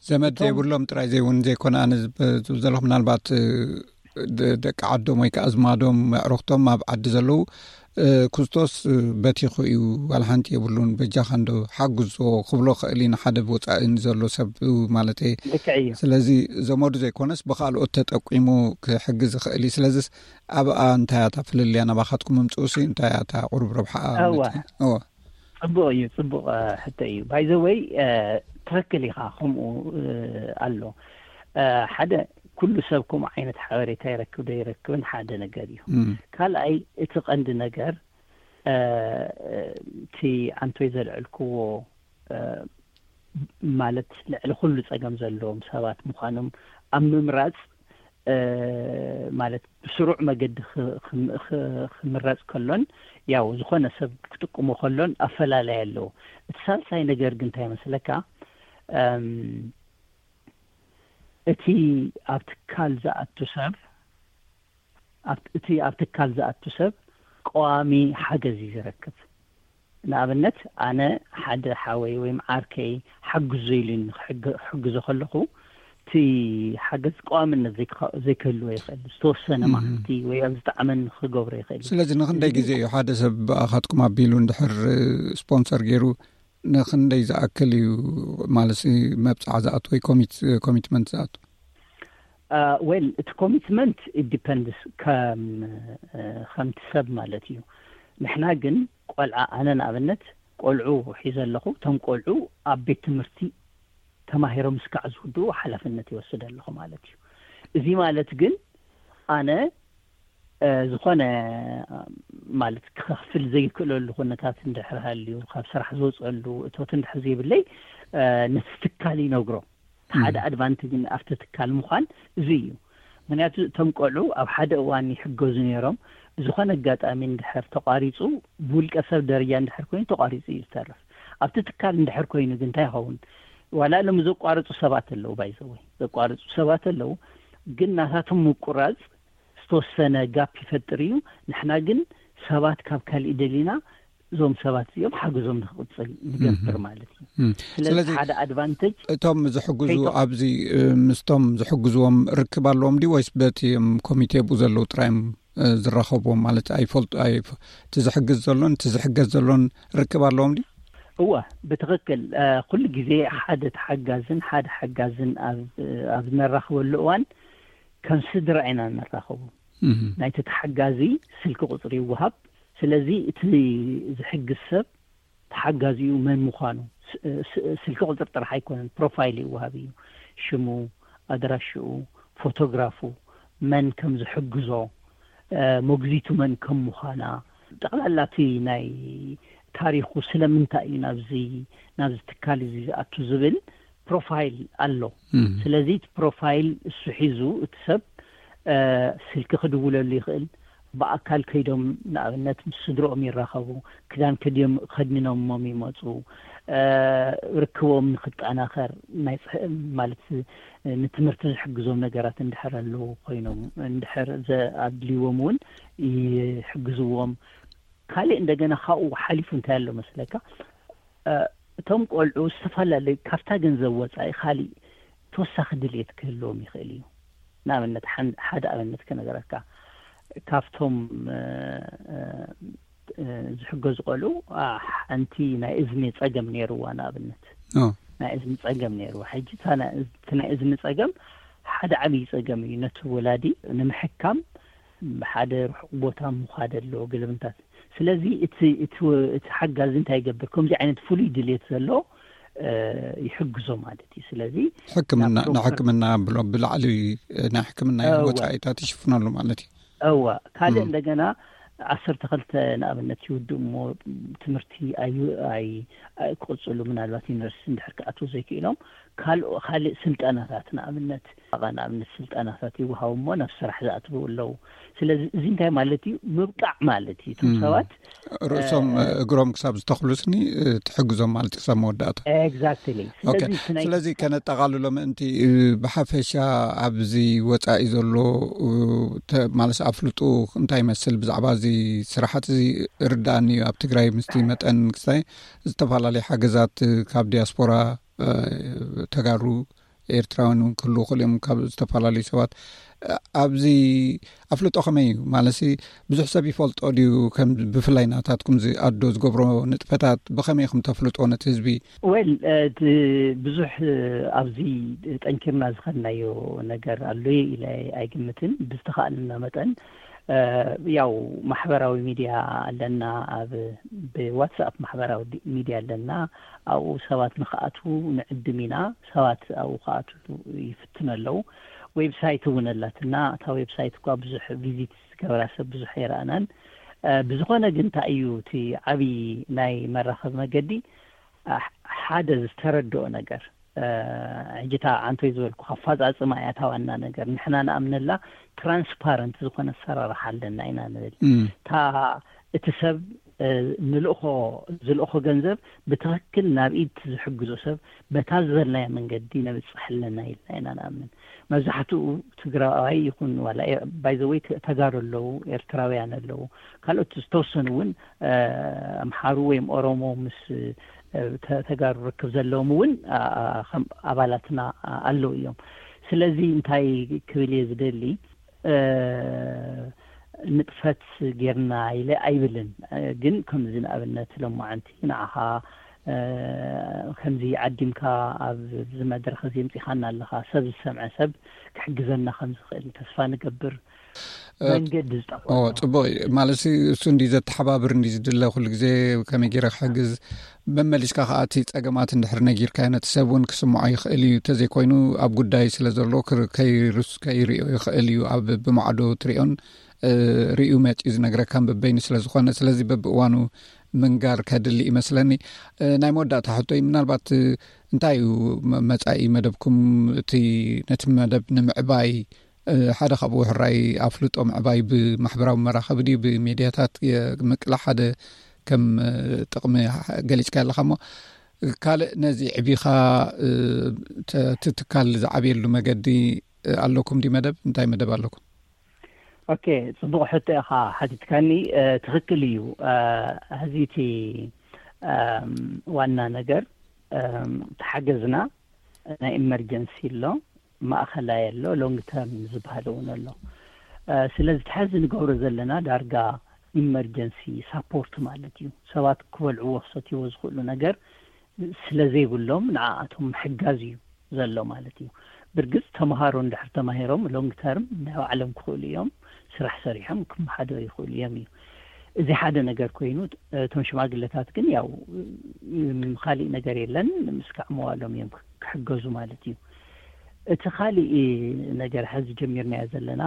ዘመድ እቶም ዘይብሎም ጥራይ ዘይውን ዘይኮነ፣ ኣነ ዝብ-፣ ዝብል ዘለኹ ምናልባት፣ እ፣ ደ-፣ ደቂ ዓዶም ወይ ከኣ ኣዝማዶም፣ ኣዕሩኽቶም ኣብ ዓዲ ዘለዉ፣ እ፣ ክስቶስ፣ እ፣ በቲኹ እዩ፣ ዋላ ሓንቲ የብሉን፣ በጃኻ እንዶ ሓግዞ ክብሎ ክእል እዩ ንሓደ ብወጻኢ ንዘሎ ሰብ፣ እ፣ ማለተይ። ልክዕ እዩ። ስለዚ ዘመዱ ዘይኮነስ ብኻልኦት ተጠቂሙ ክሕግዝ ይኽእል እዩ። ስለዚስ ኣብኣ እንታይ እያ እታ ፍልልያ ናባኻትኩም ምምጽኡሲ እንታይ እያ እታ ቁሩብ ረብሓኣ እወ። ማለት እዩ? እወ። ጽቡቕ እዩ፣ ጽቡቕ፣ እ፣ ሕቶ እዩ። ባይ ዘ ወይ፣ እ፣ ትኽክል ኢኻ፣ ከምኡ፣ እ፣ ኣሎ። እ፣ ሓደ፣ ኩሉ ሰብ ከምኡ ዓይነት ሓበሬታ ይረክብ ዶ ይረክብን ሓደ ነገር እዩ። እም። ካልኣይ፣ እቲ ቀንዲ ነገር፣ እ፣ እቲ ኣንቶይ ዘልዐልክዎ፣ እ፣ ማለት ልዕሊ ኩሉ ጸገም ዘለዎም ሰባት ምዃኖም ኣብ ምምራጽ፣ እ፣ ማለት ብስሩዕ መገዲ ክ-፣ ክ-፣ ክ-፣ ክምረጽ ከሎን፣ ያው ዝኾነ ሰብ ክጥቅሞ ከሎን ኣፈላለይ ኣለዎ። እቲ ሳልሳይ ነገር ግን እንታይ መስለካ? እም፣ እቲ ኣብ ትካል ዝኣቱ ሰብ፣ ኣብ-፣ እቲ ኣብ ትካል ዝኣቱ ሰብ ቀዋሚ ሓገዝ እዩ ዝረክብ። ንኣብነት፣ ኣነ ሓደ ሓወይ ወይም ዓርከይ ሓግዞ ኢሉኒ ክሕግ-፣ ክሕግዞ ከለኹ፣ እቲ ሓገዝ ቀዋምነት ዘይክ-፣ ዘይክህልዎ ይኽእል። ዝተወሰነ እም። መዓልቲ ወይ ኣብ ዝጠዓመኒ ክገብሮ ይኽእል እዩ። ስለዚ ንኽንደይ እዚ ግዜ እዩ ሓደ ሰብ ብኣኻትኩም ኣቢሉ እንድሕር ስፖንሰር ገይሩ ንኽንደይ ዝኣክል እዩ ማለት መብጽዓ ዝኣቱ ወይ ኮሚት-፣ ኮሚትመንት ዝኣቱ? አ፣ ዌል፣ እቲ ኮሚትመንት it depends ከም፣ እ፣ ከምቲ ሰብ ማለት እዩ። ንሕና ግን ቆልዓ፣ ኣነ ንኣብነት ቆልዑ ሒዘ ኣለኹ። እቶም ቆልዑ ኣብ ቤት ትምህርቲ ተማሂሮም እስካዕ ዝውድኡ ሓላፍነት ይወስድ ኣለኹ ማለት እዩ። እዚ ማለት ግን ኣነ ዝኾነ ማለት ክኸፍል ዘይክእለሉ ኩነታት እንድሕር ሃልዩ፣ ካብ ስራሕ ዝወፀሉ እቶት እንድሕር ዘይብለይ፣ ነቲ ትካል ይነግሮ። ሓደ ኣድቫንቴጅ ኣብቲ ትካል ምዃን እዚ እዩ። ምክንያቱ እቶም ቆልዑ ኣብ ሓደ እዋን ይሕገዙ ነይሮም። ብዝኾነ ኣጋጣሚ እንድሕር ተቋሪፁ፣ ብውልቀ ሰብ ደረጃ እንድሕር ኮይኑ ተቋሪፁ እዩ ዝተርፍ። ኣብቲ ትካል እንድሕር ኮይኑ ግን እንታይ ይኸውን? ዋላ ሎም ዘቋርፁ ሰባት ኣለዉ፣ ባይዘወይ ዘቋርፁ ሰባት ኣለዉ። ግን ናታቶም ምቁራፅ ዝተወሰነ ጋፕ ይፈጥር እዩ። ንሕና ግን ሰባት ካብ ካልእ ደሊና እዞም ሰባት እዚኦም ሓገዞም ንክቕፅል ንገብር ማለት እዩ። ስለዚ ሓደ ኣድቫንቴጅ እቶም ዝሕግዙ ኣብዚ ምስቶም ዝሕግዝዎም ርክብ ኣለዎም ድዩ ወይስ በቲ ኮሚቴ ብኡ ዘለዉ ጥራዮም ዝራኸብዎም ማለት ኣይፈልጡ? እቲ ዝሕግዝ ዘሎን እቲ ዝሕገዝ ዘሎን ርክብ ኣለዎም ድዩ? እወ፣ ብትኽክል። ኩሉ ግዜ ሓደ ተሓጋዝን ሓደ ሓጋዝን ኣብ ነራኽበሉ እዋን ከም ስድራ ኢና ንራኸቡ። ናይቲ ተሓጋዚ ስልኪ ቁፅሪ ይወሃብ። ስለዚ እቲ ዝሕግዝ ሰብ ተሓጋዚኡ መን ምዃኑ፣ ስልኪ ቁፅሪ ጥራሕ ኣይኮነን፣ ፕሮፋይል ይወሃብ እዩ። ሽሙ፣ ኣድራሽኡ፣ ፎቶግራፉ፣ መን ከም ዝሕግዞ፣ መጉዚቱ መን ከም ምዃና፣ ጠቕላላ እቲ ናይ ታሪኹ፣ ስለምንታይ እዩ ናብዚ ናብዚ ትካል እዚ ዝኣቱ ዝብል ፕሮፋይል ኣሎ። ስለዚ እቲ ፕሮፋይል እሱ ሒዙ እቲ ሰብ ስልኪ ክድውለሉ ይኽእል። ብኣካል ከይዶም ንኣብነት ምስ ስድርኦም ይራኸቡ፣ ክዳን ከድዮም ከድንኖሞም ይመፁ። ርክቦም ንክጠናኸር ናይ ማለት ንትምህርቲ ዝሕግዞም ነገራት እንድሕር ኣለዉ ኮይኖም እንድሕር ኣድልዎም እውን ይሕግዝዎም። ካልእ እንደገና ካብኡ ሓሊፉ እንታይ ኣሎ መስለካ? እቶም ቆልዑ ዝተፈላለዩ ካብታ ገንዘብ ወፃኢ ካሊእ ተወሳኺ ድልየት ክህልዎም ይኽእል እዩ። ንኣብነት ሓደ ኣብነት ክነገረካ፣ ካብቶም ዝሕገዙ ቆልዑ ሓንቲ ናይ እዝኒ ፀገም ነይርዋ። ንኣብነት ናይ እዝኒ ፀገም ነይርዋ። ሕጂ እቲ ናይ እዝኒ ፀገም ሓደ ዓብዪ ፀገም እዩ። ነቲ ወላዲ ንምሕካም ሓደ ርሑቕ ቦታ ምዃድ ኣለዎ፣ ግልምታት። ስለዚ እቲ ሓጋዚ እንታይ ይገብር? ከምዚ ዓይነት ፍሉይ ድልየት ዘሎ ይሕግዞ ማለት እዩ። ስለዚ ሕክምና ንሕክምና ብሎ ብላዕሊ ናይ ሕክምና ወፃኢታት ይሽፍነሉ ማለት እዩ። እዋ፣ ካልእ እንደገና ዓሰርተ ክልተ ንኣብነት ይውድእ እሞ ትምህርቲ ኣይ ክቕፅሉ፣ ምናልባት ዩኒቨርሲቲ እንድሕር ክኣትዉ ዘይክኢሎም ካልእ ስልጠናታት ንኣብነት ንኣብነት ስልጠናታት ይወሃቡ እሞ ናብ ስራሕ ዝኣትዉ ኣለዉ። ስለዚ እዚ እንታይ ማለት እዩ? ምብቃዕ ማለት እዩ። እቶም ሰባት ርእሶም እግሮም ክሳብ ዝተኽሉስኒ ትሕግዞም ማለት ክሳብ መወዳእታ። ኤግዛክትሊ። ስለዚ ከነጠቓልሎ ምእንቲ ብሓፈሻ ኣብዚ ወፃኢ ዘሎ ማለት ኣፍልጡ እንታይ ይመስል ብዛዕባ እዚ ስራሓት እዚ ርዳእኒ እዩ። ኣብ ትግራይ ምስቲ መጠን ክስታይ ዝተፈላለዩ ሓገዛት ካብ ዲያስፖራ ተጋሩ ኤርትራውያን እውን ክህልዉ ክእሉ እዮም ካብ ዝተፈላለዩ ሰባት። ኣብዚ ኣፍልጦ ከመይ እዩ ማለት ብዙሕ ሰብ ይፈልጦ ድዩ? ከም ብፍላይ ናታትኩም ኣዶ ዝገብሮ ንጥፈታት ብኸመይ ኢኹም ተፍልጦ ነቲ ህዝቢ? ወል ብዙሕ ኣብዚ ጠንኪርና ዝኸድናዮ ነገር ኣሎ ኢለ ኣይግምትን። ብዝተኻእለና መጠን ያው ማሕበራዊ ሚድያ ኣለና፣ ኣብ ብዋትስኣፕ ማሕበራዊ ሚድያ ኣለና። ኣብኡ ሰባት ንክኣትዉ ንዕድም ኢና። ሰባት ኣብኡ ክኣትዉ ይፍትኑ ኣለዉ። ዌብሳይት እውን ኣላትና። እታ ዌብሳይት እኳ ብዙሕ ቪዚት ዝገበራ ሰብ ብዙሕ ኣይረኣናን። ብዝኾነ ግን እንታይ እዩ እቲ ዓብዪ ናይ መራኸቢ መገዲ ሓደ ዝተረድኦ ነገር ሕጂ እታ ዓንቶይ ዝበልኩ ኣፈፃፅማ እያ እታ ዋና ነገር። ንሕና ንኣምነላ ትራንስፓረንት ዝኾነ ኣሰራርሓ ኣለና ኢና ንብል። እታ እቲ ሰብ ንልእኾ ዝልእኾ ገንዘብ ብትኽክል ናብ ኢድ ዝሕግዞ ሰብ በታ ዝበልናዮ መንገዲ ነብፅሕ ኣለና ኢልና ኢና ንኣምን። መብዛሕትኡ ትግራዋይ ይኹን ዋላ ባይዘወይ ተጋሩ ኣለዉ፣ ኤርትራውያን ኣለዉ፣ ካልኦት ዝተወሰኑ እውን ኣምሓሩ ወይም ኦሮሞ ምስ ተጋሩ ርክብ ዘለዎም እውን ከም ኣባላትና ኣለዉ እዮም። ስለዚ እንታይ ክብል እየ ዝደሊ፣ ንጥፈት ጌርና ኢለ ኣይብልን። ግን ከምዚ ንኣብነት ሎማዓንቲ ንዓኻ ከምዚ ዓዲምካ ኣብዚ መድረኽ እዚ ምፂኻና ኣለኻ፣ ሰብ ዝሰምዐ ሰብ ክሕግዘና ከም ዝኽእል ተስፋ ንገብር። መንገዲ ዝጠፋ ጽቡቅ እዩ ማለት እሱ እንዲ ዘተሓባብር እንዲ ዝድለ ኩሉ ግዜ ከመይ ገይረ ክሕግዝ፣ መመሊስካ ከዓ እቲ ጸገማት እንድሕር ነጊርካዮ ነቲ ሰብ እውን ክስምዖ ይኽእል እዩ። ተዘይኮይኑ ኣብ ጉዳይ ስለ ዘሎ ከይርስ ከይሪኦ ይኽእል እዩ። ኣብ ብማዕዶ ትሪኦን ርእዩ መፂኡ ዝነግረካ በበይኑ ስለ ዝኾነ፣ ስለዚ በብእዋኑ ምንጋር ከድሊ ይመስለኒ። ናይ መወዳእታ ሕቶይ ምናልባት እንታይ እዩ መፃኢ መደብኩም? እቲ ነቲ መደብ ንምዕባይ ሓደ ካብኡ ሕራይ ኣፍልጦ ምዕባይ ብማሕበራዊ መራኸቢ ድዩ ብሜድያታት ምቅላሕ ሓደ ከም ጥቕሚ ገሊፅካ ኣለካ እሞ፣ ካልእ ነዚ ዕቢኻ እቲ ትካል ዝዓብየሉ መገዲ ኣለኩም ድዩ? መደብ እንታይ መደብ ኣለኩም? ኦኬ፣ ፅቡቕ ሕቶ ኢኻ ሓቲትካኒ። ትኽክል እዩ። ሕዚ እቲ ዋና ነገር ተሓገዝና ናይ ኢመርጀንሲ ኣሎ፣ ማእኸላይ ኣሎ፣ ሎንግ ተርም ዝበሃል እውን ኣሎ። ስለዚ እቲ ሕዚ ንገብሮ ዘለና ዳርጋ ኢመርጀንሲ ሳፖርት ማለት እዩ። ሰባት ክበልዕዎ ክሰትይዎ ዝኽእሉ ነገር ስለ ዘይብሎም ንዓኣቶም ምሕጋዝ እዩ ዘሎ ማለት እዩ። ብርግፅ ተምሃሮ እንድሕር ተማሂሮም ሎንግ ተርም ናይ ባዕሎም ክኽእሉ እዮም፣ ስራሕ ሰሪሖም ክመሓደሩ ይኽእሉ እዮም እዩ። እዚ ሓደ ነገር ኮይኑ፣ እቶም ሽማግለታት ግን ያው ካሊእ ነገር የለን፣ ምስ ከዕመዋሎም እዮም ክሕገዙ ማለት እዩ። እቲ ካሊእ ነገር ሕዚ ጀሚርናዮ ዘለና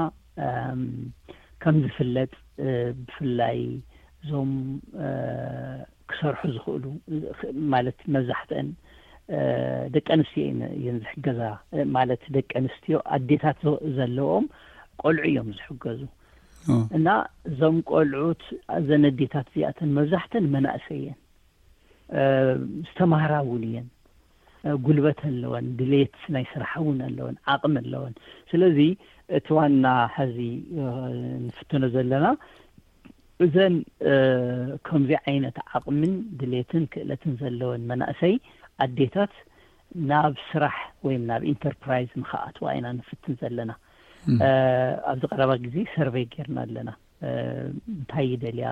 ከም ዝፍለጥ ብፍላይ እዞም ክሰርሑ ዝኽእሉ ማለት መብዛሕትአን ደቂ ኣንስትዮ እየን ዝሕገዛ። ማለት ደቂ ኣንስትዮ ኣዴታት ዘለዎም ቆልዑ እዮም ዝሕገዙ እና እዞም ቆልዑት እዘን ኣዴታት እዚኣተን መብዛሕተን መናእሰይ እየን፣ ዝተማህራ እውን እየን፣ ጉልበት ኣለወን፣ ድሌት ናይ ስራሕ እውን ኣለወን፣ ዓቕሚ ኣለወን። ስለዚ እቲ ዋና ሕዚ ንፍትኖ ዘለና እዘን ከምዚ ዓይነት ዓቕምን ድሌትን ክእለትን ዘለወን መናእሰይ ኣዴታት ናብ ስራሕ ወይም ናብ ኢንተርፕራይዝ ንክኣትዋ ኢና ንፍትን ዘለና። ኣብዚ ቀረባ ግዜ ሰርቬይ ጌርና ኣለና። እንታይ ይደልያ፣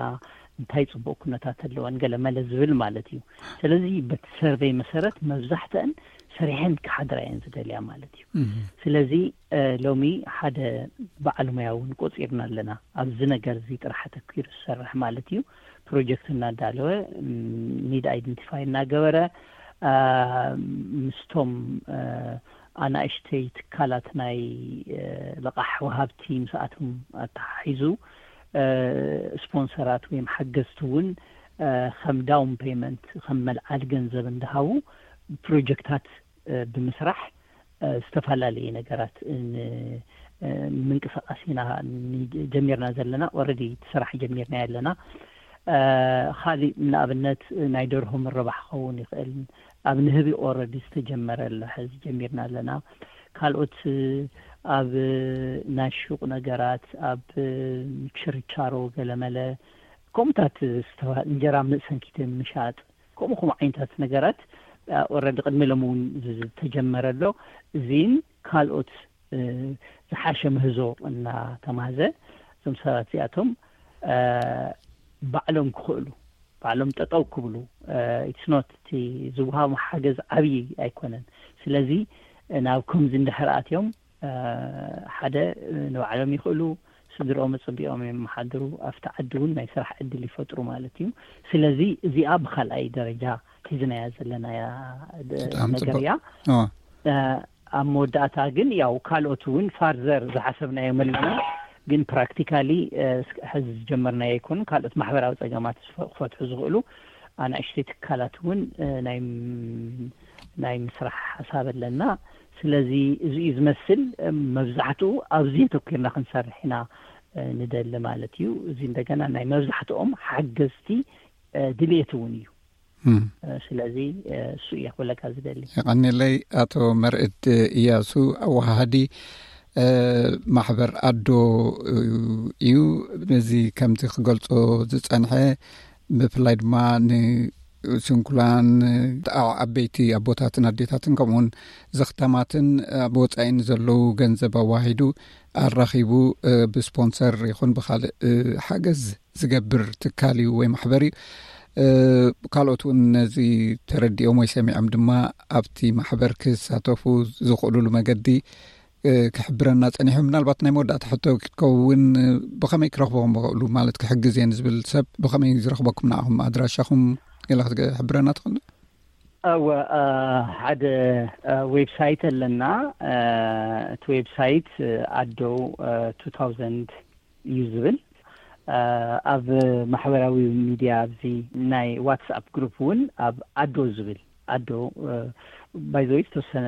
እንታይ ፅቡቅ ኩነታት ኣለወን፣ ገለ መለ ዝብል ማለት እዩ። ስለዚ በቲ ሰርቬይ መሰረት መብዛሕተአን ሰሪሐን ክሓድራ እየን ዝደልያ ማለት እዩ። ስለዚ ሎሚ ሓደ በዓል ሙያ እውን ቆፂርና ኣለና። ኣብዚ ነገር እዚ ጥራሕ ኣተኪሩ ዝሰርሕ ማለት እዩ። ፕሮጀክት እናዳለወ፣ ኒድ ኣይደንቲፋይ እናገበረ፣ ምስቶም ኣናእሽተይ ትካላት ናይ ልቓሕ ወሃብቲ ምስኣቶም ኣተሓሒዙ ስፖንሰራት ወይም ሓገዝቲ እውን ከም ዳውን ፔመንት ከም መልዓሊ ገንዘብ እንዳሃቡ ፕሮጀክታት ብምስራሕ ዝተፈላለየ ነገራት ምንቅስቃስ ኢና ጀሚርና ዘለና። ኦረዲ ስራሕ ጀሚርና ኣለና። ካሊእ ንኣብነት ናይ ደርሆ ምርባሕ ክኸውን ይኽእል። ኣብ ንህቢ ኦረዲ ዝተጀመረ ኣሎ፣ ሕዚ ጀሚርና ኣለና። ካልኦት ኣብ ናይ ሹቕ ነገራት፣ ኣብ ችርቻሮ ገለመለ ከምኡታት እንጀራ ምእሰንኪተ ምሻጥ ከምኡ ከምኡ ዓይነት ነገራት ኦረዲ ቅድሚ ሎም እውን ዝተጀመረ ኣሎ። እዚን ካልኦት ዝሓሸ ምህዞ እናተማህዘ እዞም ሰባት እዚኣቶም ባዕሎም ክኽእሉ ባዕሎም ጠጠው ክብሉ ኢትስኖት እቲ ዝውሃቦም ሓገዝ ዓብዪ ኣይኮነን። ስለዚ ናብ ከምዚ እንድሕር ኣትዮም ሓደ ንባዕሎም ይኽእሉ፣ ስድርኦም ኣፀቢቖም የመሓድሩ፣ ኣብቲ ዓዲ እውን ናይ ስራሕ ዕድል ይፈጥሩ ማለት እዩ። ስለዚ እዚኣ ብካልኣይ ደረጃ ሒዝናያ ዘለናያ ነገር እያ። ኣብ መወዳእታ ግን ያው ካልኦት እውን ፋርዘር ዝሓሰብናዮም ኣለና። ግን ፕራክቲካሊ ሕዚ ዝጀመርናዮ ኣይኮኑን። ካልኦት ማሕበራዊ ፀገማት ክፈትሑ ዝኽእሉ ኣናእሽተይ ትካላት እውን ናይ ምስራሕ ሓሳብ ኣለና። ስለዚ እዚ እዩ ዝመስል። መብዛሕትኡ ኣብዚ ኣተኪርና ክንሰርሕ ኢና ንደሊ ማለት እዩ። እዚ እንደገና ናይ መብዛሕትኦም ሓገዝቲ ድልየት እውን እዩ። ስለዚ እሱ እየ ክብለካ ዝደሊ። የቐኒለይ። ኣቶ መርዕድ እያሱ ኣወሃሃዲ ማሕበር ኣዶ እዩ። ነዚ ከምቲ ክገልጾ ዝጸንሐ ብፍላይ ድማ ንስንኩላን ዓበይቲ ኣቦታትን ኣዴታትን ከምኡውን ዘኽታማትን ኣብ ወጻኢን ዘለዉ ገንዘብ ኣዋሂዱ ኣራኺቡ ብስፖንሰር ይኹን ብካልእ ሓገዝ ዝገብር ትካል እዩ ወይ ማሕበር እዩ። ካልኦት እውን ነዚ ተረዲኦም ወይ ሰሚዖም ድማ ኣብቲ ማሕበር ክሳተፉ ዝኽእሉሉ መገዲ ክሕብረና ጸኒሑ። ምናልባት ናይ መወዳእታ ሕቶ ክትከውን፣ ብኸመይ ክረኽብኹም ይኽእሉ? ማለት ክሕግዝ እየን ዝብል ሰብ ብኸመይ ዝረኽበኩም ንዓኹም? ኣድራሻኹም ገለ ክትሕብረና ትኽእል? እወ፣ ሓደ ዌብሳይት ኣለና። እቲ ዌብሳይት ኣዶ two thousand እዩ ዝብል። ኣብ ማሕበራዊ ሚድያ ኣብዚ ናይ ዋትስኣፕ ግሩፕ እውን ኣብ ኣዶ ዝብል፣ ኣዶ ባይዘወይ ዝተወሰነ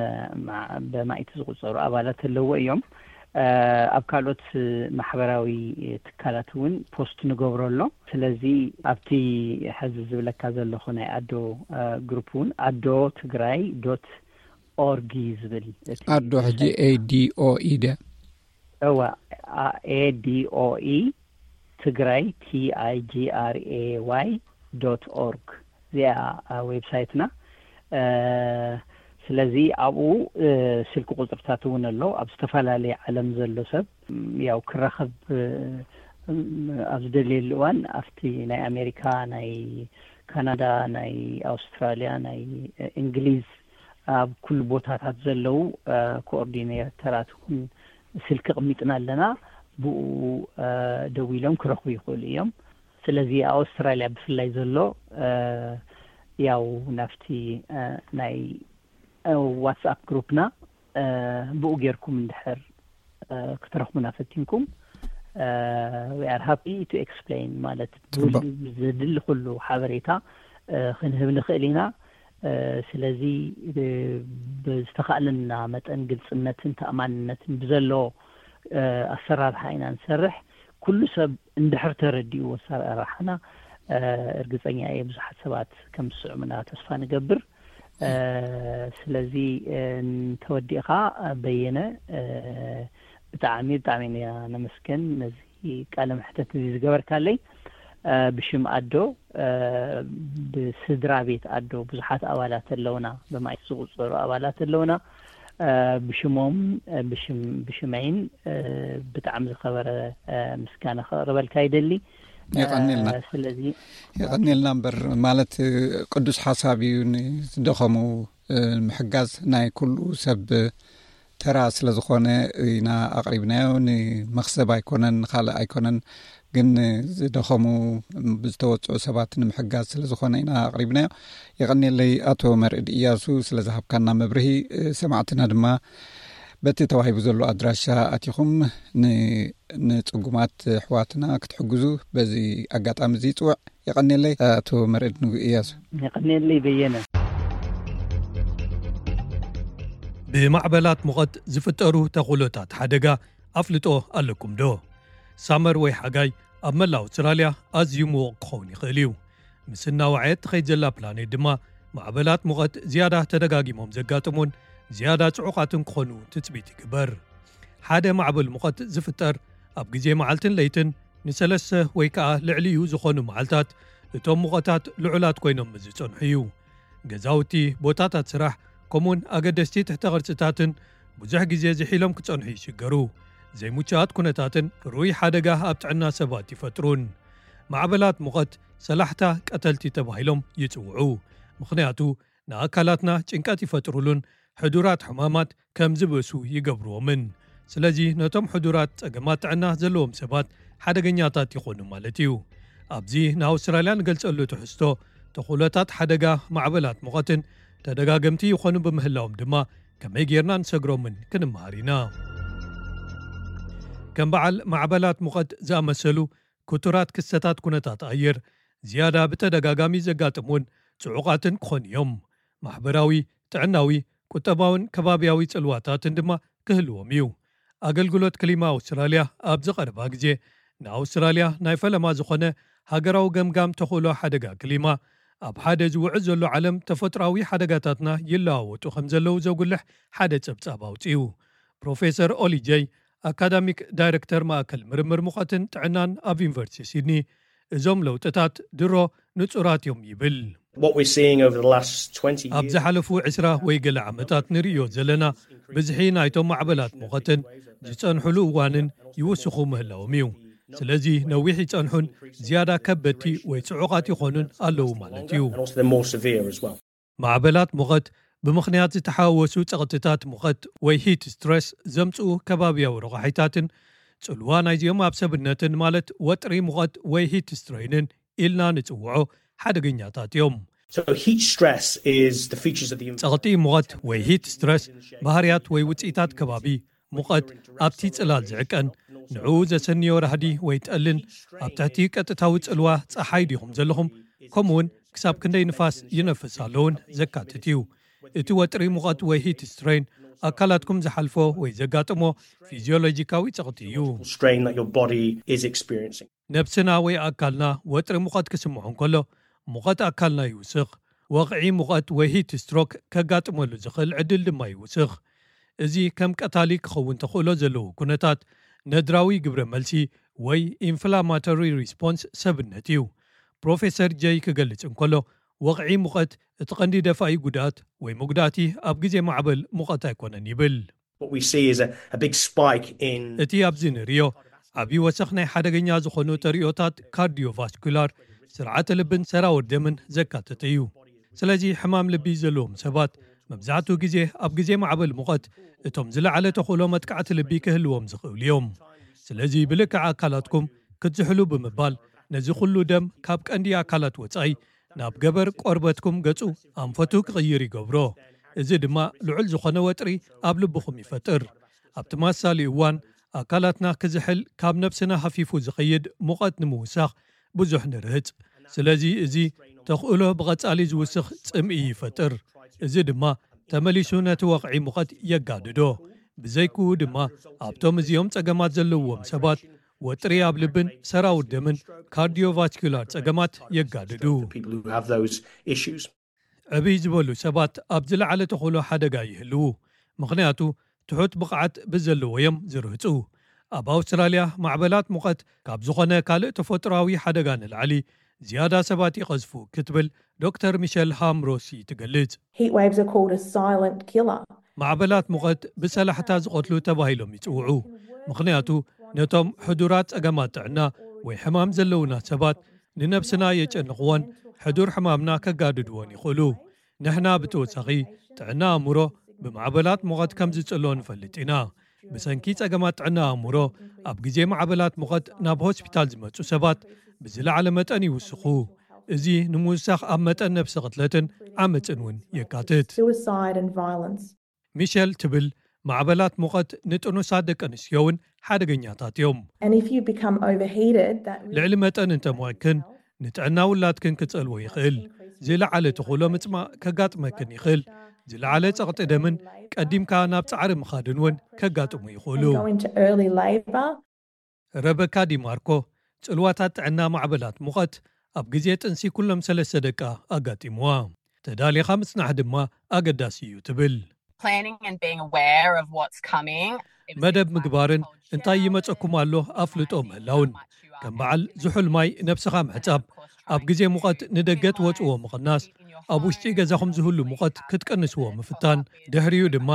ብማእቲ ዝቁፀሩ ኣባላት ኣለዎ እዮም። ኣብ ካልኦት ማሕበራዊ ትካላት እውን ፖስት ንገብሮ ኣሎ። ስለዚ ኣብቲ ሕዚ ዝብለካ ዘለኹ ናይ ኣዶ ግሩፕ እውን ኣዶ ትግራይ ዶት ኦርግ እዩ ዝብል። ኣዶ ሕጂ ኤዲኦኢ ደ እዋ፣ ኤዲኦኢ ትግራይ ቲኣይጂኣርኤዋይ ዶት ኦርግ፣ እዚኣ ዌብሳይትና። ስለዚ ኣብኡ ስልኪ ቁፅርታት እውን ኣሎ። ኣብ ዝተፈላለየ ዓለም ዘሎ ሰብ ያው ክራኸብ ኣብ ዝደልየሉ እዋን ኣብቲ ናይ ኣሜሪካ፣ ናይ ካናዳ፣ ናይ ኣውስትራሊያ፣ ናይ እንግሊዝ፣ ኣብ ኩሉ ቦታታት ዘለዉ ኮኦርዲኔተራት እውን ስልኪ ቅሚጥና ኣለና። ብኡ ደዊሎም ክረኽቡ ይኽእሉ እዮም። ስለዚ ኣውስትራሊያ ብፍላይ ዘሎ ያው ናብቲ ናይ ዋትስኣፕ ግሩፕና ብኡ ጌርኩም እንድሕር ክትረኽቡና ፈቲንኩም፣ we are happy to explain፣ ማለት ዘድሊ ኩሉ ሓበሬታ ክንህብ ንኽእል ኢና። ስለዚ ብዝተኻእለና መጠን ግልፅነትን ተኣማንነትን ብዘለዎ ኣሰራርሓ ኢና ንሰርሕ። ኩሉ ሰብ እንድሕር ተረዲኡ ኣሰራርሓና እርግፀኛ እየ ብዙሓት ሰባት ከም ዝስዕሙና ተስፋ ንገብር። ስለዚ እንተወዲእኻ በየነ፣ ብጣዕሚ ብጣዕሚ ኢና ነመስገን ነዚ ቃለ መሕተት እዚ ዝገበርካለይ። ብሽም ኣዶ፣ ብስድራ ቤት ኣዶ ብዙሓት ኣባላት ኣለውና፣ ብማእቲ ዝቁፀሩ ኣባላት ኣለውና። ብሽሞም ብሽመይን ብጣዕሚ ዝኸበረ ምስጋና ከቕርበልካ ይደሊ። የቐኒልና። ስለዚ የቐኒልና እምበር ማለት ቅዱስ ሓሳብ እዩ። ንዝደኸሙ ምሕጋዝ ናይ ኩሉ ሰብ ተራ ስለ ዝኾነ ኢና ኣቕሪብናዮ። ንመኽሰብ ኣይኮነን፣ ንኻልእ ኣይኮነን፣ ግን ዝደኸሙ ብዝተወፅዑ ሰባት ንምሕጋዝ ስለ ዝኾነ ኢና ኣቕሪብናዮ። የቐኒለይ ኣቶ መርዕድ እያሱ ስለ ዝሃብካና መብርሂ። ሰማዕትና ድማ በቲ ተዋሂቡ ዘሎ ኣድራሻ ኣቲኹም ንፅጉማት ኣሕዋትና ክትሕግዙ በዚ ኣጋጣሚ እዚ ይፅውዕ። የቐኒለይ ኣቶ መርዕድ ንጉ እያሱ። የቐኒለይ በየነ። ብማዕበላት ሙቐት ዝፍጠሩ ተኽእሎታት ሓደጋ ኣፍልጦ ኣለኩም ዶ? ሳመር ወይ ሓጋይ ኣብ መላእ ኣውስትራልያ ኣዝዩ ምዉቕ ክኸውን ይኽእል እዩ። ምስ እናወዓየት ትኸይድ ዘላ ፕላኔት ድማ ማዕበላት ሙቐት ዝያዳ ተደጋጊሞም ዘጋጥሙን ዝያዳ ጽዑቓትን ክኾኑ ትጽቢት ይግበር። ሓደ ማዕበል ሙቐት ዝፍጠር ኣብ ግዜ መዓልትን ለይትን ንሰለስተ ወይ ከኣ ልዕሊኡ ዝኾኑ መዓልታት እቶም ሙቐታት ልዑላት ኮይኖም ዝጸንሑ እዩ። ገዛውቲ፣ ቦታታት ስራሕ፣ ከምኡውን ኣገደስቲ ትሕተ ቅርጽታትን ብዙሕ ግዜ ዝሒሎም ክጸንሑ ይሽገሩ። ዘይምቹኣት ኩነታትን ርኡይ ሓደጋ ኣብ ጥዕና ሰባት ይፈጥሩን። ማዕበላት ሙቐት ሰላሕታ ቀተልቲ ተባሂሎም ይጽውዑ። ምኽንያቱ ንኣካላትና ጭንቀት ይፈጥሩሉን ሕዱራት ሕማማት ከም ዝብእሱ ይገብርዎምን። ስለዚ ነቶም ሕዱራት ጸገማት ጥዕና ዘለዎም ሰባት ሓደገኛታት ይኾኑ ማለት እዩ። ኣብዚ ንኣውስትራልያ ንገልጸሉ ትሕዝቶ ተኽእሎታት ሓደጋ ማዕበላት ሙቐትን ተደጋገምቲ ይኾኑ ብምህላዎም ድማ ከመይ ጌርና ንሰግሮምን ክንመሃር ኢና። ከም በዓል ማዕበላት ሙቐት ዝኣመሰሉ ክቱራት ክስተታት ኩነታት ኣየር ዝያዳ ብተደጋጋሚ ዘጋጥሙን ጽዑቓትን ክኾኑ እዮም። ማሕበራዊ፣ ጥዕናዊ፣ ቁጠባውን ከባብያዊ ጽልዋታትን ድማ ክህልዎም እዩ። ኣገልግሎት ክሊማ ኣውስትራልያ ኣብዚ ቀረባ ግዜ ንኣውስትራልያ ናይ ፈለማ ዝኾነ ሃገራዊ ገምጋም ተኽእሎ ሓደጋ ክሊማ ኣብ ሓደ ዝውዕል ዘሎ ዓለም ተፈጥሮኣዊ ሓደጋታትና ይለዋወጡ ከም ዘለዉ ዘጉልሕ ሓደ ጸብጻብ ኣውጺኡ። ፕሮፌሰር ኦሊ ጀይ፣ ኣካዳሚክ ዳይረክተር ማእከል ምርምር ሙቐትን ጥዕናን ኣብ ዩኒቨርሲቲ ሲድኒ፣ እዞም ለውጥታት ድሮ ንጹራት እዮም ይብል። What we're seeing over the last twenty ኣብ years ዝሓለፉ ዕስራ ወይ ገለ ዓመታት ንርእዮ ዘለና ብዝሒ ናይቶም ማዕበላት ሙቐትን ዝጸንሕሉ እዋንን ይውስኹ ምህላዎም እዩ። ስለዚ ነዊሕ ይጸንሑን ዝያዳ ከበድቲ ወይ ጽዑቓት ይኾኑን ኣለዉ ማለት እዩ። And also they're more severe as well. ማዕበላት ሙቐት ብምኽንያት ዝተሓወሱ ጸቕጥታት ሙቐት ወይ ሂት ስትረስ ዘምጽኡ ከባብያዊ ረቋሒታትን ጽልዋ ናይዚኦም ኣብ ሰብነትን ማለት ወጥሪ ሙቐት ወይ ሂት ስትሬንን ኢልና ንጽውዖ ሓደገኛታት እዮም። So heat stress is the features of the ጸቕጢ ሙቐት ወይ ሂት ስትረስ ባህርያት ወይ ውጽኢታት ከባቢ ሙቐት ኣብቲ ጽላል ዝዕቀን ንዕኡ ዘሰንዮ ራህዲ ወይ ጠልን ኣብ ትሕቲ ቀጥታዊ ጽልዋ ጸሓይ ዲኹም ዘለኹም ከምኡውን ክሳብ ክንደይ ንፋስ ይነፍስ ኣለውን ዘካትት እዩ። እቲ ወጥሪ ሙቐት ወይ ሂት ስትሬን ኣካላትኩም ዝሓልፎ ወይ ዘጋጥሞ ፊዚዮሎጂካዊ ጸቕጢ እዩ። Strain that your body is experiencing. ነብስና ወይ ኣካልና ወጥሪ ሙቐት ክስምዖ እንከሎ ሙቐት ኣካልና ይውስኽ። ወቕዒ ሙቐት ወይ ሂት ስትሮክ ከጋጥመሉ ዝኽእል ዕድል ድማ ይውስኽ። እዚ ከም ቀታሊ ክኸውን ተኽእሎ ዘለዎ ኩነታት ነድራዊ ግብረ መልሲ ወይ ኢንፍላማቶሪ ሪስፖንስ ሰብነት እዩ። ፕሮፌሰር ጀይ ክገልጽ እንከሎ ወቕዒ ሙቐት እቲ ቀንዲ ደፋኢ ጉድኣት ወይ መጉዳእቲ ኣብ ግዜ ማዕበል ሙቐት ኣይኮነን ይብል። What we see is a, a big spike in እቲ ኣብዚ ንርእዮ ዓብዪ ወሰኽ ናይ ሓደገኛ ዝኾኑ ተርእዮታት ካርዲዮቫስኩላር ስርዓተ ልብን ሰራውር ደምን ዘካተተ እዩ። ስለዚ ሕማም ልቢ ዘለዎም ሰባት መብዛሕትኡ ግዜ ኣብ ግዜ ማዕበል ሙቐት እቶም ዝለዓለ ተኽእሎ መጥቃዕቲ ልቢ ክህልዎም ዝኽእሉ እዮም። ስለዚ ብልክዕ ኣካላትኩም ክትዝሕሉ ብምባል ነዚ ኩሉ ደም ካብ ቀንዲ ኣካላት ወጻኢ ናብ ገበር ቆርበትኩም ገጹ ኣንፈቱ ክቕይር ይገብሮ። እዚ ድማ ልዑል ዝኾነ ወጥሪ ኣብ ልብኹም ይፈጥር። ኣብ ተመሳሳሊ እዋን ኣካላትና ክዝሕል ካብ ነብስና ሃፊፉ ዝኸይድ ሙቐት ንምውሳኽ ብዙሕ ንርህጽ። ስለዚ እዚ ተኽእሎ ብቐጻሊ ዝውስኽ ጽምኢ ይፈጥር። እዚ ድማ ተመሊሱ ነቲ ወቕዒ ሙቐት የጋድዶ። ብዘይክኡ ድማ ኣብቶም እዚኦም ጸገማት ዘለዎም ሰባት ወጥሪ ኣብ ልብን ሰራውር ደምን ካርዲዮቫስኩላር ጸገማት የጋድዱ። People who have those issues. ዕብይ ዝበሉ ሰባት ኣብ ዝለዓለ ተኽእሎ ሓደጋ ይህልዉ። ምኽንያቱ ትሑት ብቕዓት ብዘለዎ እዮም ዝርህጹ። ኣብ ኣውስትራልያ ማዕበላት ሙቐት ካብ ዝኾነ ካልእ ተፈጥሮኣዊ ሓደጋ ንላዕሊ ዝያዳ ሰባት ይቐዝፉ ክትብል ዶክተር ሚሸል ሃምሮሲ ትገልጽ። Heat waves are called a silent killer. ማዕበላት ሙቐት ብሰላሕታ ዝቐትሉ ተባሂሎም ይጽውዑ። ምኽንያቱ ነቶም ሕዱራት ጸገማት ጥዕና ወይ ሕማም ዘለውና ሰባት ንነብስና የጨንቕዎን ሕዱር ሕማምና ከጋድድዎን ይኽእሉ። ንሕና ብተወሳኺ ጥዕና ኣእምሮ ብማዕበላት ሙቐት ከም ዝጽሎ ንፈልጥ ኢና። ብሰንኪ ጸገማት ጥዕና ኣእምሮ ኣብ ግዜ ማዕበላት ሙቐት ናብ ሆስፒታል ዝመጹ ሰባት ብዝለዓለ መጠን ይውስኹ። እዚ ንምውሳኽ ኣብ መጠን ነብሲ ቅትለትን ዓመጽን እውን የካትት። Suicide and violence. ሚሸል ትብል ማዕበላት ሙቐት ንጥኑሳት ደቂ ኣንስትዮ እውን ሓደገኛታት እዮም። And if you become overheated, that ልዕሊ መጠን እንተሞቕክን ንጥዕና ውላድክን ክጸልዎ ይኽእል። ዝለዓለ ተኽእሎ ምጽማእ ከጋጥመክን ይኽእል። ዝለዓለ ጸቕጢ ደምን ቀዲምካ ናብ ጻዕሪ ምኻድን እውን ከጋጥሙ ይኽእሉ። Go into early labor. ረበካ ዲማርኮ ጽልዋታት ጥዕና ማዕበላት ሙቐት ኣብ ግዜ ጥንሲ ኩሎም ሰለስተ ደቃ ኣጋጢምዋ። ተዳሊኻ ምጽናሕ ድማ ኣገዳሲ እዩ ትብል። Planning and being aware of what's coming. መደብ ምግባርን እንታይ ይመጸኩም ኣሎ ኣፍልጦ ምህላውን ከም በዓል ዝሑል ማይ ነብስኻ ምሕጻብ ኣብ ግዜ ሙቐት ንደገ ትወጽዎ ምቕናስ ኣብ ውሽጢ ገዛኹም ዝህሉ ሙቐት ክትቀንስዎ ምፍታን ድሕሪኡ ድማ